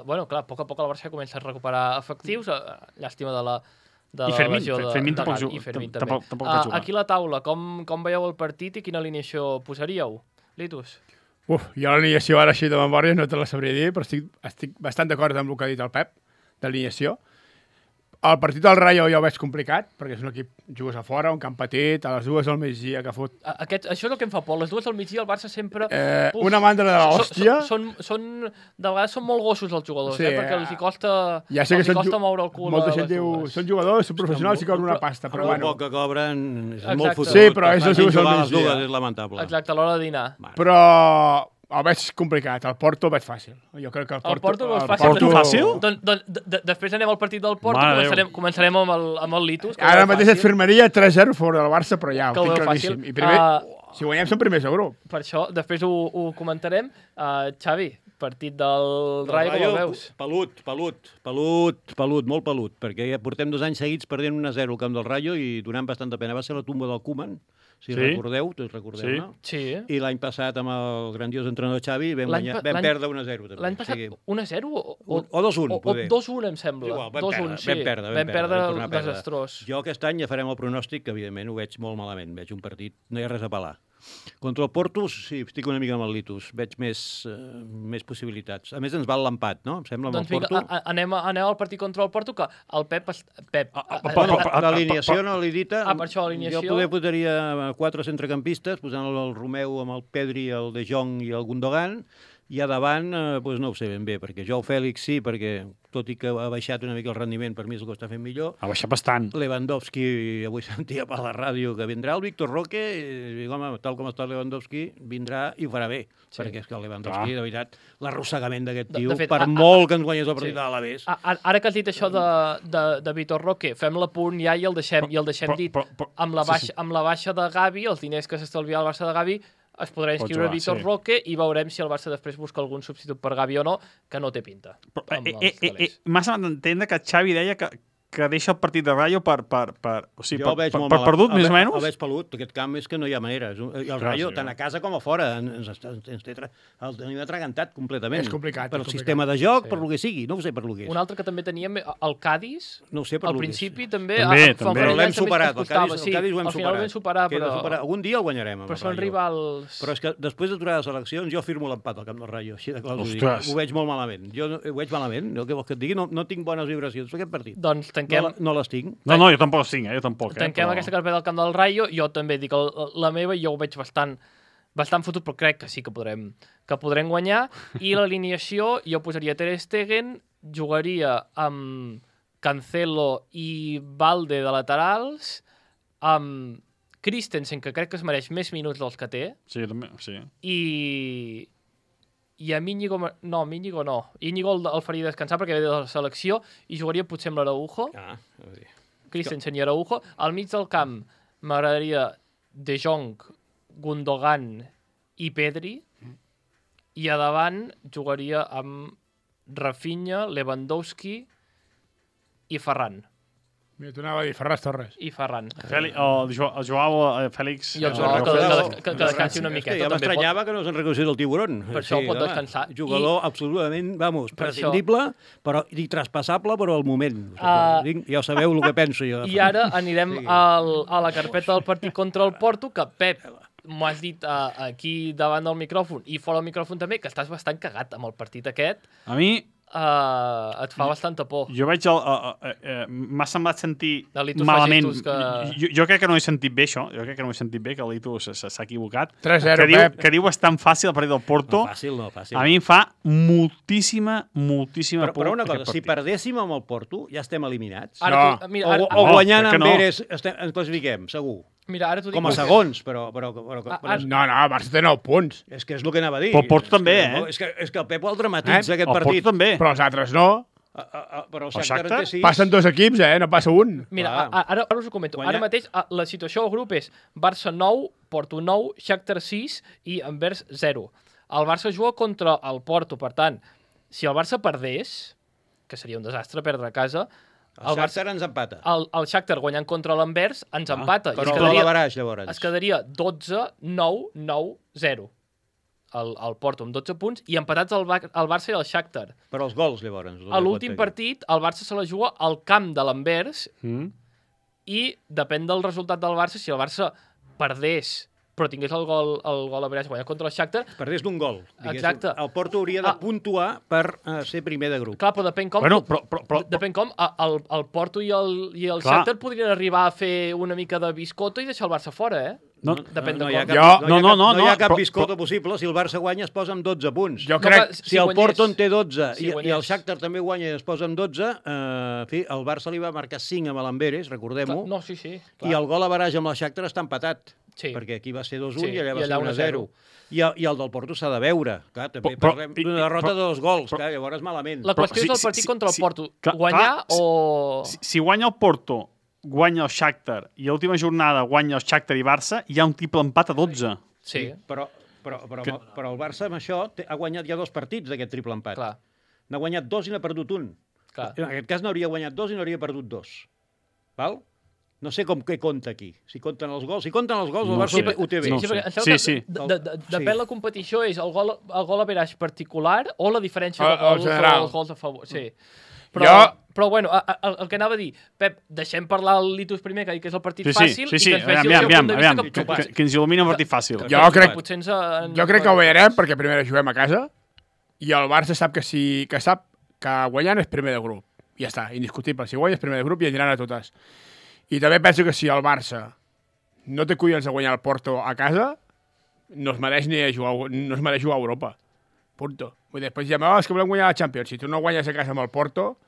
Bueno, clar, a poc el Barça comença a recuperar efectius, llàstima de la I Fermín, lesió de Fermín Gavi, tampoc juga. i Fermín també. Tampoc pot jugar. Aquí a la taula, com veieu el partit i quina alineació posaríeu? Litus? Jo l'alineació ara així de memòria no te la sabria dir, però estic bastant d'acord amb el que ha dit el Pep, d'alineació. El partit del Rayo ja ho veig complicat, perquè és un equip, jugues a fora, un camp petit, a les 2 del migdia que fot... Això és el que em fa por. Les 2 del migdia el Barça sempre... una mandra de l'hòstia. De vegades són molt gossos els jugadors, Sí, perquè els hi costa, ja sé que moure el cul. Molta gent diu, són jugadors, són professionals i cobren una pasta, però El bueno. poc que cobren és Exacte. molt fotut. Sí, però és Que els facin jugadors jugar al a les migdia. dues, és lamentable. Exacte, a l'hora de dinar. Però el veig complicat, el Porto el veig fàcil. Jo crec que El Porto ho veus fàcil. Porto fàcil? Després anem al partit del Porto, Mare començarem amb el Litus. Ara mateix et firmaria 3-0 fora del Barça, però ja, Que ho ho tinc veu claríssim. fàcil. I primer, si guanyem som primers de grup. Per això, després ho comentarem. Xavi, partit del Rayo, com el veus? Pelut, molt pelut, perquè ja portem 2 anys seguits perdent 1-0 al camp del Rayo i donant bastanta pena. Va ser la tumba del Koeman, si recordeu, no? Sí. I l'any passat amb el grandiós entrenador Xavi vam perdre 1-0 també. L'any passat 1-0 o 2-1, poder. O 2-1, em sembla. Igual, vam perdre desastrós. Jo aquest any ja farem el pronòstic, que evidentment ho veig molt malament. Veig un partit, no hi ha res a pelar. Contra el Porto, sí, estic una mica amb el Litus. Veig més possibilitats. A més, ens val l'empat, no? Em sembla, amb Doncs el vinga, Porto. anem al partit contra el Porto, que el Pep... L'alineació no l'he dita. Per això l'alineació. Jo poder posaria 4 centrecampistes, posant el Romeu amb el Pedri, el De Jong i el Gundogan, i a davant, doncs no ho sé ben bé, perquè Joao Fèlix sí, perquè tot i que ha baixat una mica el rendiment, per mi és el que està fent millor. Ha baixat bastant. Lewandowski, avui sentia per la ràdio que vindrà. El Víctor Roque, home, tal com està el Lewandowski, vindrà i ho farà bé. Sí. Perquè és que el Lewandowski, de veritat, l'arrossegament d'aquest tio, fet, per molt que ens guanyés el partit de l'Alavés. Ara que has dit això de Víctor Roque, fem l'apunt ja i el deixem dit. Amb la baixa de Gavi, els diners que s'estalvia el Barça de Gavi, es podrà inscriure Víctor Roque i veurem si el Barça després busca algun substitut per Gavi o no, que no té pinta. M'ha semblat entendre que Xavi deia que deixa el partit de Rayo per perdut, més o menys? El veig pelut. Aquest camp és que no hi ha manera. I el Rayo, tant a casa com a fora, el tenim atragantat completament. És complicat. Per el sistema de joc, per lo que sigui. No ho sé per lo que és. Un altre que també teníem, el Cádiz, no ho sé per al lo que és. principi també. Però l'hem superat. El Cádiz ho hem superat. Al final ho vam superar, però... Algun dia el guanyarem. Però són rivals... Però és que després d'aturar les eleccions jo firmo l'empat al camp del Rayo. Així de clar us ho dic. Ho veig molt malament. Jo ho veig malament. El que vols que et digui, no tinc bones vibracions per aquest partit. Doncs tanquem... No les tinc. No, jo tampoc les tinc, jo tampoc. Tanquem aquesta carpeta del camp del Rayo. Jo també dic la meva, jo ho veig bastant fotut, però crec que sí que podrem guanyar. I l'alineació, jo posaria Ter Stegen, jugaria amb Cancelo i Valde de laterals, amb Christensen, que crec que es mereix més minuts dels que té. Sí, també, sí. I amb Íñigo no. Íñigo el faria descansar perquè ve de la selecció i jugaria potser amb l'Araujo. Christensen i Araujo. Al mig del camp m'agradaria De Jong, Gundogan i Pedri. I a davant jugaria amb Rafinha, Lewandowski i Ferran. Mira, tu anava a dir Ferran Torres. I Ferran. El Joao Fèlix... I el Joao que descansi una miqueta. Ja m'estranyava que no se'n reconogués el tiburon. Per això pot descansar. Jugador absolutament, prescindible i traspassable, però al moment. Ja sabeu el que penso jo. I ara anirem a la carpeta del partit contra el Porto, que Pep, m'ho has dit aquí davant del micròfon i fora del micròfon també, que estàs bastant cagat amb el partit aquest. A mi... et fa bastanta por. Jo veig m'ha semblat sentir malament. Jo crec que no he sentit bé això. Jo crec que no he sentit bé, que el Litus s'ha equivocat. 3-0, Pep. Que diu és tan fàcil el partit del Porto. No, fàcil. A mi em fa moltíssima por. Però una cosa, si perdéssim amb el Porto, ja estem eliminats. O guanyant amb Eres ens classifiquem, segur. Mira, ara t'ho dic... Com a segons, però... No, Barça té 9 punts. És que és el que anava a dir. Però el Porto també, És que el Pep el dramatitza, aquest partit. El Porto també. Però els altres no. Però el Shakhtar té 6. Passen 2 equips, no passa un. Mira, ara us ho comento. Ara mateix la situació al grup és Barça 9, Porto 9, Shakhtar 6 i Anvers 0. El Barça juga contra el Porto, per tant, si el Barça perdés, que seria un desastre perdre a casa... El Shakhtar ens empata. El Shakhtar guanyant contra l'Anvers ens empata. Però el Baraix, llavors. Es quedaria 12, 9, 9, 0. El Porto amb 12 punts i empatats el Barça i el Shakhtar. Però els gols, llavors. A l'últim partit, el Barça se la juga al camp de l'Anvers i depèn del resultat del Barça. Si el Barça perdés però tingués el gol a Baraix guanyat contra el Shakhtar... Perdés d'un gol. Exacte. El Porto hauria de puntuar per ser primer de grup. Clar, però depèn com... Depèn com el Porto i el Shakhtar podrien arribar a fer una mica de biscotto i deixar el Barça fora, Depèn de com. No hi ha cap biscotto possible. Si el Barça guanya es posa amb 12 punts. Jo crec... Si el Porto en té 12 i el Shakhtar també guanya i es posa amb 12, el Barça li va marcar 5 amb l'Amberes, recordem-ho. No, sí. I el gol a Baraix amb el Shakhtar està empatat. Sí. Perquè aquí va ser 2-1 i allà va ser 1-0. I el del Porto s'ha de veure. Clar, també parlem d'una derrota de 2 gols. Clar, llavors malament. La qüestió és el partit contra el Porto. Guanyar o... Si guanya el Porto, guanya el Shakhtar i a l'última jornada guanya el Shakhtar i Barça, hi ha un triple empat a 12. Sí. Però el Barça amb això ha guanyat ja 2 partits d'aquest triple empat. Clar. N'ha guanyat 2 i n'ha perdut 1. Clar. En aquest cas n'hauria guanyat 2 i n'hauria perdut 2. Val? No sé què compta aquí. Si compten els gols. Si compten els gols, el Barça ho té bé. Sí. Depèn la competició, és el gol a Baraix particular o la diferència de gols o els gols a favor. Sí. Però bueno, el que anava a dir, Pep, deixem parlar el Litus primer, que és el partit Sí, fàcil, sí, i que ens faci el seu aviam, punt de vista que ens il·lumina un partit fàcil. Jo crec potser que ho veurem perquè primer juguem a casa i el Barça sap que guanyant és primer de grup. Ja està, indiscutible. Si guanya és primer de grup i aniran a totes. I també penso que si el Barça no té collons de guanyar el Porto a casa, no es mereix jugar a Europa. Punto. Vull dir, després ja és que volem guanyar la Champions. Si tu no guanyes a casa amb el Porto,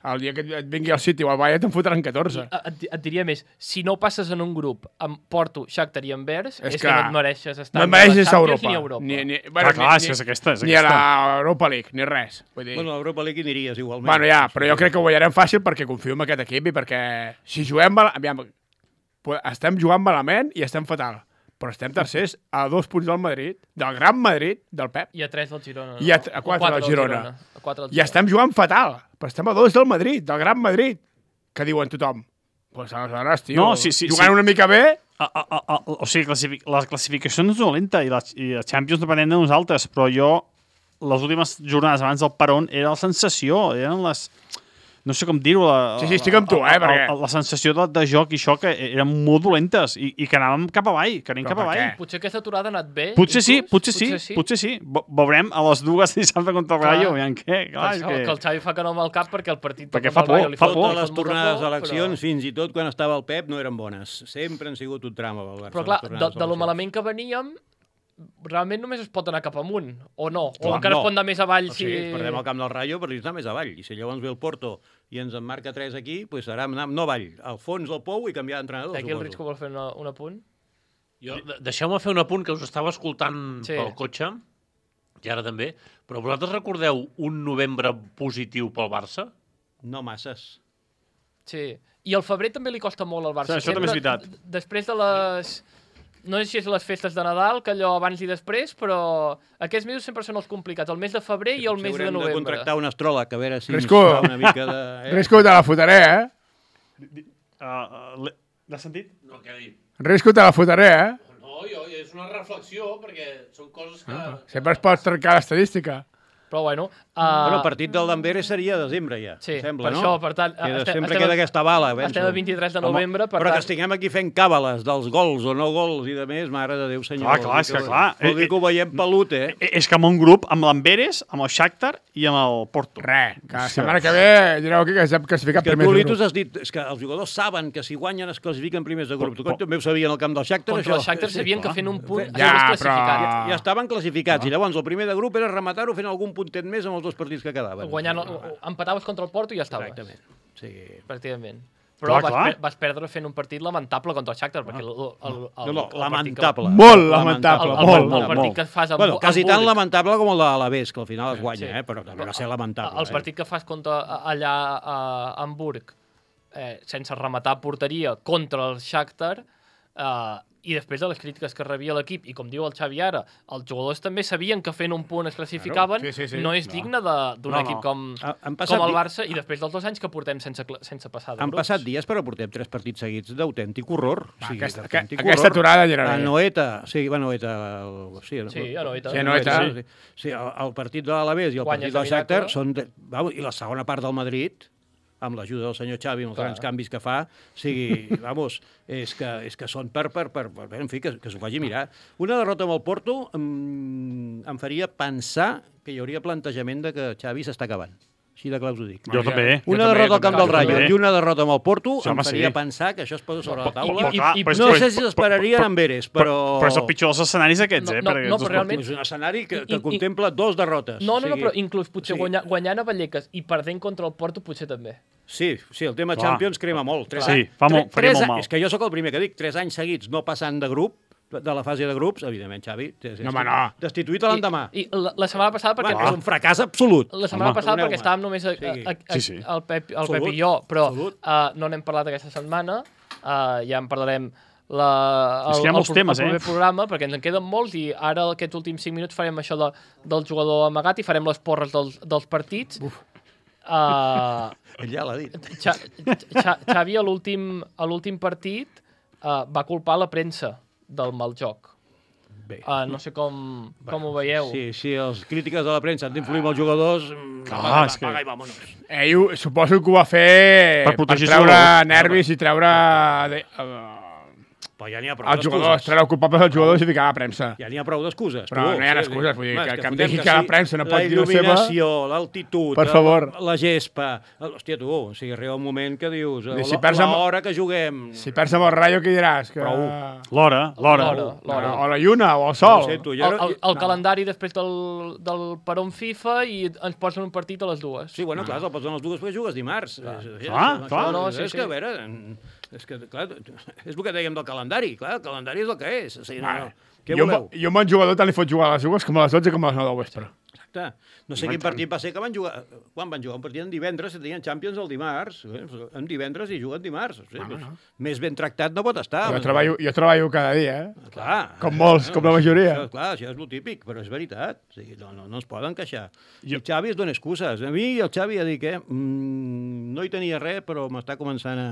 el dia que et vingui al City o al Bayern te'n fotran 14. Et diria més, si no passes en un grup amb Porto, Shakhtar i Anvers, és que no et mereixes estar no et mereixes a Europa. ni a Europa. Clar, és aquesta. Ni a l'Europa League, ni res. Vull dir... Bueno, a l'Europa League hi aniries igualment. Bueno, ja, però jo crec que ho guanyarem fàcil perquè confio en aquest equip i perquè si juguem... Aviam, estem jugant malament i estem fatal. Però estem tercers a 2 punts del Madrid, del Gran Madrid, del Pep. I a 3 del Girona. I a 4 del Girona. A 4 del I estem jugant fatal, però estem a 2 del Madrid, del Gran Madrid, que diuen tothom. Pues aleshores, tio, jugant una mica bé... O sigui, la classificació no és dolenta i la Champions depenent de nosaltres, però jo, les últimes jornades abans del Peron, era la sensació, eren les... No sé com dir-ho. Sí, estic amb tu, perquè... La sensació de joc i això que eren molt dolentes i que anàvem cap avall, que anem cap avall. Potser aquesta aturada ha anat bé. Potser sí. Veurem a les 2 dissabte contra el Rayo. Clar, que el Xavi fa que no amb el cap perquè el partit... Perquè fa por. Totes les tornades d'eleccions, fins i tot quan estava el Pep, no eren bones. Sempre han sigut un drama pel Barça. Però clar, de lo malament que veníem, realment només es pot anar cap amunt, o no? O encara es pot anar més avall si... Sí, perdem el camp del Rayo, però ens anar més avall. I si llavors ve el Porto i ens en marca 3 aquí, doncs serà anar no avall, al fons del pou i canviar d'entrenador. Aquí el Risco vol fer un apunt? Deixeu-me fer un apunt que us estava escoltant pel cotxe, i ara també, però vosaltres recordeu un novembre positiu pel Barça? No masses. Sí. I al febrer també li costa molt al Barça. Això també és veritat. Després de les... No sé si és les festes de Nadal, que allò abans i després, però aquests mesos sempre són els complicats, el mes de febrer i el mes de novembre. Haurem de contractar un astròleg, a veure si Risco, ens fa una mica de... Risco, te la fotré, L'has sentit? No, què ha dit? Risco, te la fotré, No, és una reflexió, perquè són coses que... Sempre es pot trencar l'estadística. Però bueno... Bueno, el partit del Danveres seria a desembre ja, sí, sembla, per no? això, per tant... Sempre queda aquesta bala, penso. Estem el 23 de novembre, per però tant... que estiguem aquí fent càbales dels gols o no gols i de més, mare de Déu, senyor. Clar, és que clar. Vol dir que ho veiem pelut, És que amb un grup, amb l'Amberes, amb el Shakhtar i amb el Porto. Que la setmana que ve direu aquí que s'ha classificat que primers tu, de Litus, grup. has dit és que els jugadors saben que si guanyen es classifiquen primers de grup. Tu també ho sabien al camp del Shakhtar, Contra això? el Shakhtar sabien que fent un punt Ja, ja classificat. Ja estaven classificats i llavors el primer de grup era rematar-ho fent algun puntet més amb els 2 partits que quedaven. Empataves contra el Porto i ja estaves. Exactament. Sí. Pràcticament. Però Clar. vas perdre fent un partit lamentable contra el Shakhtar, perquè lamentable. Molt lamentable, el partit que fas amb quasi tan Hamburg, lamentable com el de l'Alavés, que al final es guanya, però també va ser lamentable. el partit que fas contra allà a Hamburg, sense rematar porteria contra el Shakhtar, i després de les crítiques que rebia l'equip, i com diu el Xavi ara, els jugadors també sabien que fent un punt es classificaven, no és digne d'un equip com el Barça, i després dels 2 anys que portem sense passar de grups. Han passat dies, però portem 3 partits seguits d'autèntic horror. Aquesta aturada ja era a bé. Anoeta, sí, a Anoeta. Sí, a Anoeta. Sí, Anoeta. Sí, el partit de l'Alavés i el partit del Shakhtar són... I la segona part del Madrid, amb l'ajuda del senyor Xavi, amb els grans canvis que fa, és que són en fi, que s'ho faci mirar. Una derrota amb el Porto em faria pensar que hi hauria plantejament de que Xavi s'està acabant. Així de clar us ho dic. Jo també. Una derrota al camp del Rayo i una derrota amb el Porto Sí, em home, faria sí. pensar que això es posa sobre la taula. I- No sé si s'esperarien amb Eres, però... Però és el pitjor dels escenaris aquests, No, perquè no, però realment- És un escenari que contempla 2 derrotes. No, O sigui, però inclús potser guanyant a Vallecas i perdent contra el Porto potser també. Sí, el tema Clar. Champions crema molt. Sí, faria molt mal. És que jo sóc el primer que dic, 3 anys seguits no passant de grup, de la fase de grups, evidentment, Xavi, home, no. destituït a l'endemà. I la setmana passada, perquè... És un fracàs absolut. La setmana passada perdoneu-me. perquè estàvem només Sí. el Pep Absolut, i jo, però absolut. no n'hem parlat aquesta setmana, ja en parlarem És que hi ha molts temes, el proper programa, perquè ens en queden molts i ara aquests últims 5 minuts farem això del jugador amagat i farem les porres dels partits. Ell ja l'ha dit. Xavi a l'últim partit va culpar la premsa del mal joc. Bé. No sé com ho veieu. Si els crítiques de la premsa han d'influir amb els jugadors, apaga i vámonos. Ell suposo que ho va fer Per protegir treure els nervis i treure Però ja n'hi ha prou els jugadors, d'excuses. treure culpables als jugadors i ficar a la premsa. Ja n'hi ha prou d'excuses. Però no hi ha excuses, vull dir, home, és que em fotem digui que la sí, premsa no pot dir la seva... La il·luminació, l'altitud, Per favor. la gespa... Hòstia, tu, o sigui, arriba un moment que dius... Si perds amb- l'hora que juguem... Si perds amb el Rayo, què diràs? Que... Prou. L'hora. O la lluna, o el sol. No ho sento, jo... El calendari després del peron FIFA i ens posen un partit a les 2. Sí, bueno, clar, te'l posen les dues perquè jugues dimarts. Clar. No, sí, És que, a veure, és que, clar, és el que dèiem del calendari. Clar, el calendari és el que és. O sigui, no. Què voleu? Jo amb un jugador tant li fot jugar a les dues com a les 12 com a les 9 del vespre. Exacte. No sé quin partit va ser que van jugar... Quan van jugar? Un partit en divendres, si tenien Champions el dimarts. En divendres i juguen dimarts. O sigui, més ben tractat no pot estar. Jo treballo cada dia, Clar. Com molts, com la majoria. Clar, això és el típic, però és veritat. O sigui, no es poden queixar. I el Xavi es dona excuses. A mi el Xavi ja dic, no hi tenia res, però m'està començant a...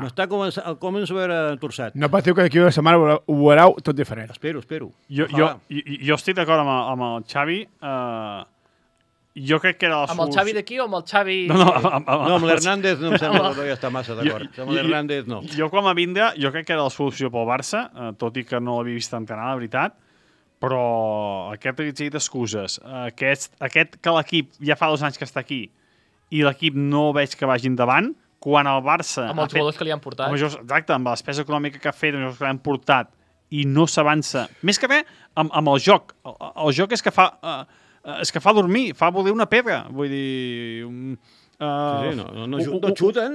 comença a veure torçat. No patiu que d'aquí una setmana ho veureu tot diferent. Espero. Jo estic d'acord amb el Xavi. Jo crec que era la Amb el Xavi d'aquí o amb el Xavi... No, amb l'Hernández no em sembla que ja està massa d'acord. Amb l'Hernández no. Jo com a Vindra, jo crec que era la solució pel Barça, tot i que no l'havia vist entrenar, la veritat, però aquest reguitzell d'excuses, aquest que l'equip ja fa 2 anys que està aquí i l'equip no veig que vagi endavant, quan el Barça... Amb els jugadors que li han portat. Exacte, amb la despesa econòmica que ha fet, amb els que l'han portat, i no s'avança. Més que res, amb el joc. El joc és que fa dormir, fa voler una pedra. Vull dir... No xuten,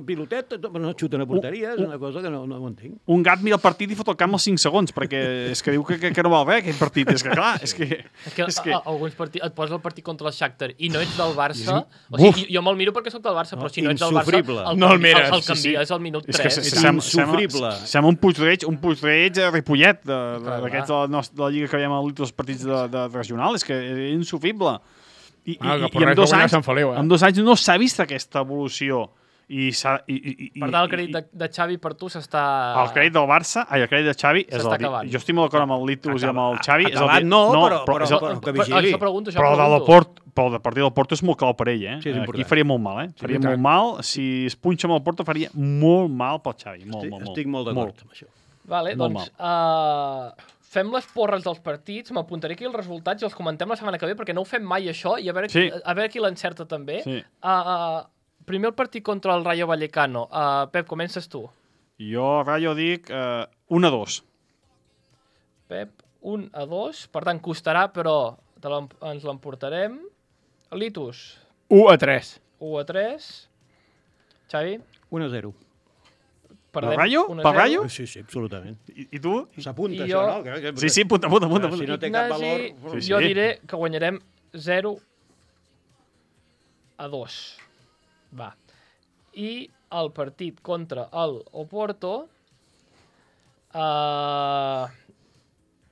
pilotet, no xuten a porteria, és una cosa que no ho entenc. Un gat mira el partit i fot el camp als 5 segons, perquè és que diu que no val res aquest partit. És que clar, és que... Alguns partits, et posa el partit contra el Shakhtar i no ets del Barça. O sigui, jo me'l miro perquè sóc del Barça, però si no ets del Barça, el canvies al minut 3. És insufrible. Sembla un puig-reig a Ripollet, d'aquests de la Lliga que veiem als partits de regional. És que és insufrible. I en 2 anys no s'ha vist aquesta evolució. Per tant, el crèdit de Xavi per tu s'està... El crèdit del Barça, el crèdit de Xavi és el dir. Jo estic molt d'acord amb el Litus i amb el Xavi. Acabat no, però que vigili. Però el partit del Porto és molt clau per ell, eh? Aquí faria molt mal, Faria molt mal. Si es punxa amb el Porto faria molt mal pel Xavi. Estic molt d'acord amb això. Vale, doncs... Fem les porres dels partits, m'apuntaré aquí els resultats i els comentem la setmana que ve, perquè no ho fem mai això, i a veure qui l'encerta també. Sí. Primer el partit contra el Rayo Vallecano. Pep, comences tu. Jo, Rayo, dic 1-2. Pep, 1-2. Per tant, costarà, però ens l'emportarem. Litus. 1-3. 1-3. Xavi. 1-0. Per Rayo? Per Rayo? Sí, absolutament. I tu? S'apunta això, no? Sí, apunta. Si no té cap valor... Jo diré que guanyarem 0-2. Va. I el partit contra el Oporto...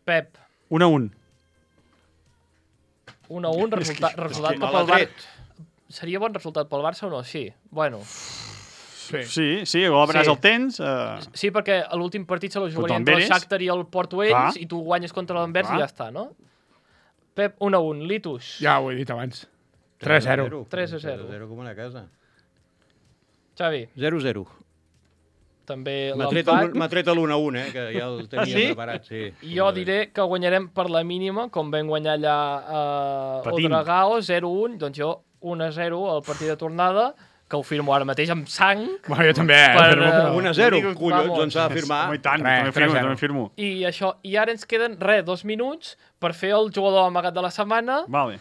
Pep. 1-1. 1-1, resultat que pel Barça... Seria bon resultat pel Barça o no? Sí. Bueno... Sí, gol a Benàs el tens. Sí, perquè a l'últim partit se la jugaria entre el Shakhtar i el Porto ells, i tu guanyes contra l'Anvers i ja està, no? Pep, 1-1. Litus. Ja ho he dit abans. 3-0. 3-0. 0 com una casa. Xavi. 0-0. També l'empat. M'ha tret l'1-1, que ja el tenia preparat. Sí. Jo diré que guanyarem per la mínima, com vam guanyar allà a Odragao, 0-1. Doncs jo 1-0 al partit de tornada, que ho firmo ara mateix amb sang. Bueno, jo també. 1-0, collons, doncs s'ha de firmar. I tant, també firmo. I això, i ara ens queden, 2 minuts per fer el jugador amagat de la setmana. Vale.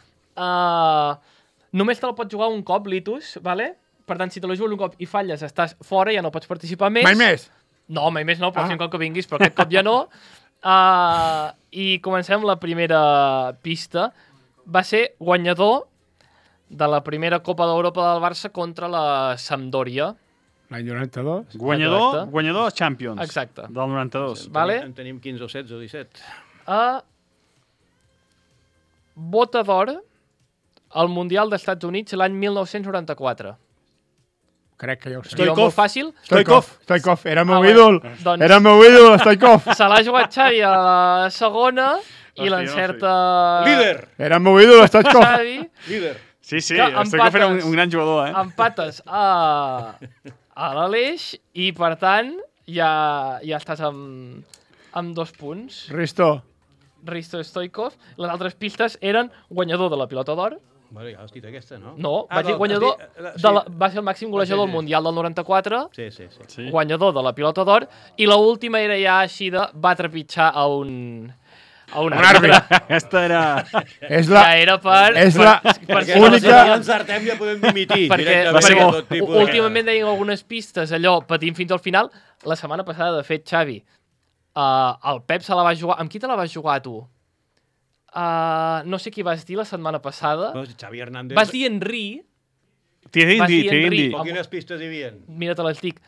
Només te la pots jugar un cop, Litus, vale? Per tant, si te la jugues un cop i falles, estàs fora, ja no pots participar més. Mai més? No, mai més no, pot ser un cop que vinguis, però aquest cop ja no. I comencem la primera pista. Va ser guanyador de la primera Copa d'Europa del Barça contra la Sampdoria. L'any 92. Guanyador de Champions. Exacte. Del 92. Vale? En tenim 15 o 16 o 17. Bota d'or al Mundial dels Estats Units l'any 1994. Crec que ja ho sé. Diu molt fàcil. Stoikov. Era el meu bé. ídol. Doncs- Era el meu ídol, Stoikov. Se l'ha jugat Xavi a la segona i Hòstia, l'encerta... Líder! Era el meu ídol, Stoikov. Xavi. Líder! Sí, Que Stoikov era empates. un gran jugador, Empates a l'Aleix i, per tant, ja estàs amb 2 punts. Risto Stoikov. Les altres pistes eren guanyador de la pilota d'or. Bueno, ja l'has dit aquesta, no? No, vaig dir guanyador... Va ser el màxim golejador del Mundial del 94, Sí. guanyador de la pilota d'or, i l'última era ja així de va trepitjar a un àrbitre. Aquesta era... És la... Que era per... És la Perquè única... si no encertem ja podem dimitir. Perquè tot tipus de- últimament deien algunes pistes, allò, patint fins al final. La setmana passada, de fet, Xavi, el Pep se la va jugar... Amb qui te la vas jugar, tu? No sé qui vas dir la setmana passada. No, Xavi Hernández... Vas dir Henry. T'hi Vas dir he Henry. dit. Però quines pistes hi havia? Mira, te les dic.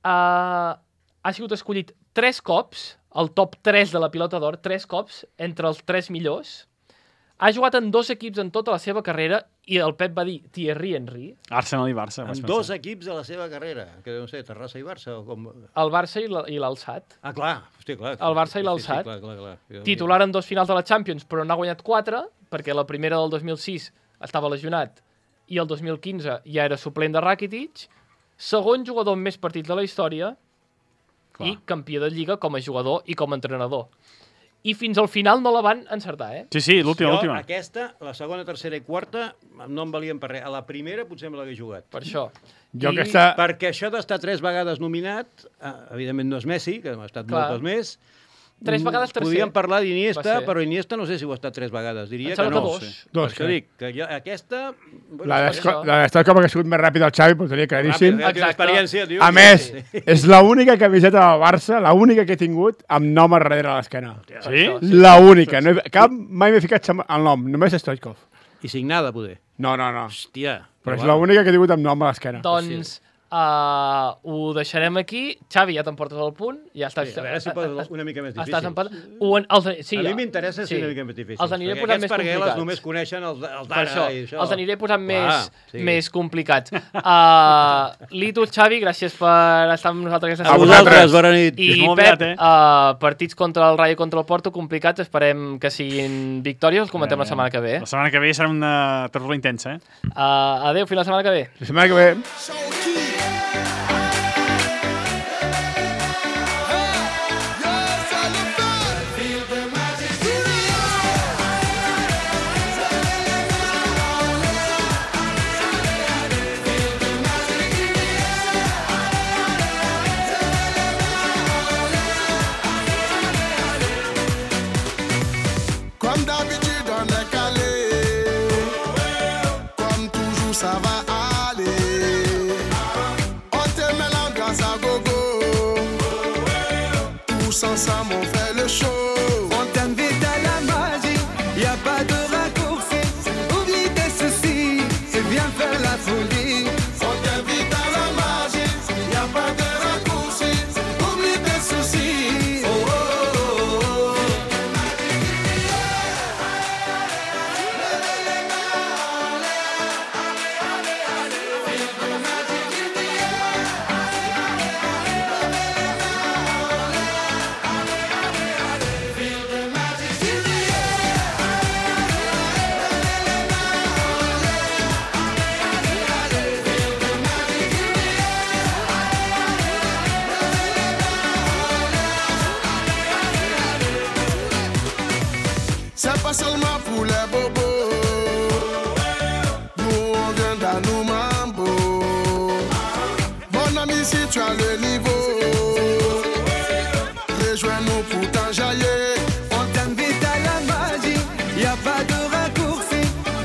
Ha sigut escollit 3 cops, el top 3 de la pilota d'or, 3 cops, entre els 3 millors. Ha jugat en 2 equips en tota la seva carrera i el Pep va dir Thierry Henry. Arsenal i Barça. En 2 equips de la seva carrera, que no sé, Terrassa i Barça o com... El Barça i l'Alçat. Ah, clar, hosti, clar. El Barça i l'Alçat. Sí, clar. Titular en 2 finals de la Champions, però n'ha guanyat 4, perquè la primera del 2006 estava lesionat i el 2015 ja era suplent de Rakitic. Segon jugador amb més partits de la història i campió de Lliga com a jugador i com a entrenador. I fins al final no la van encertar, eh? Sí, l'última. Aquesta, la segona, tercera i quarta, no em valien per res. A la primera potser me l'hagués jugat. Per això. Perquè això d'estar 3 vegades nominat, evidentment no és Messi, que ha estat moltes més. 3 vegades tercer. Podíem parlar d'Iniesta, però Iniesta no sé si ho ha estat 3 vegades. Diria que no. Per això dic que aquesta... La d'Stoikov ha sigut més ràpida al Xavi, però tenia claríssim. Experiència, tio. A més, és l'única camiseta del Barça, l'única que he tingut amb nom a darrere a l'esquena. Sí? L'única. Mai m'he ficat el nom, només Stoikov. I signada, poder. No. Hòstia. Però és l'única que he tingut amb nom a l'esquena. Doncs ho deixarem aquí. Xavi, ja t'emportes el punt. Ja estàs, a veure si poses una mica més difícil. Estàs empatat. Sí, a mi m'interessa ser una mica més difícil. Els aniré posant més complicats. Aquests només coneixen els d'ara i això. Els aniré posant més complicats. Litus, Xavi, gràcies per estar amb nosaltres aquesta setmana. A vosaltres, bona nit. I Pep, partits contra el Rayo i contra el Porto complicats. Esperem que siguin victòries. Els comentem la setmana que ve. La setmana que ve serà una tertúlia intensa, Adéu, fins la setmana que ve. La setmana que ve. Comme d'habitude, on est calé. Comme toujours, ça va aller. On te met l'ambiance à gogo. Tous ensemble, on fait le show. On t'invite à la magie, y a pas de raccourci. Oublie tes soucis, c'est bien faire la folie. On t'invite à la magie, y a pas de raccourci. Oublie tes soucis. Oh, oh, oh, oh. C'est pas seulement pour les bobos. Nous on vient dans nos mambo. Mon ami, si tu as le niveau, rejoins-nous pour t'enjailler. On t'invite à la magie, y a pas de raccourci.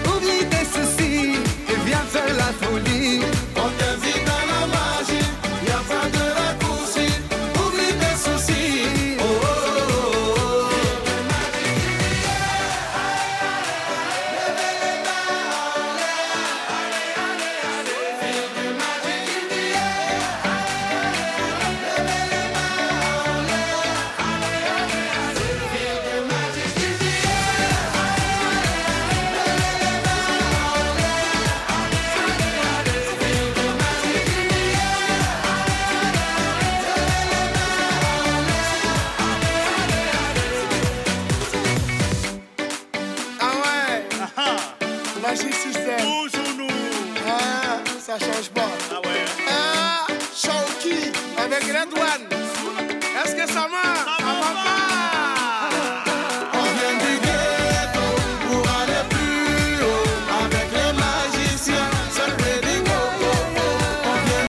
Oublie tes soucis, et viens faire la folie. On t'invite à la magie, y a pas de raccourci. Oublie tes soucis. Oh, oh, oh, oh. avec Red One. Est-ce que ça marche? Ça va pas?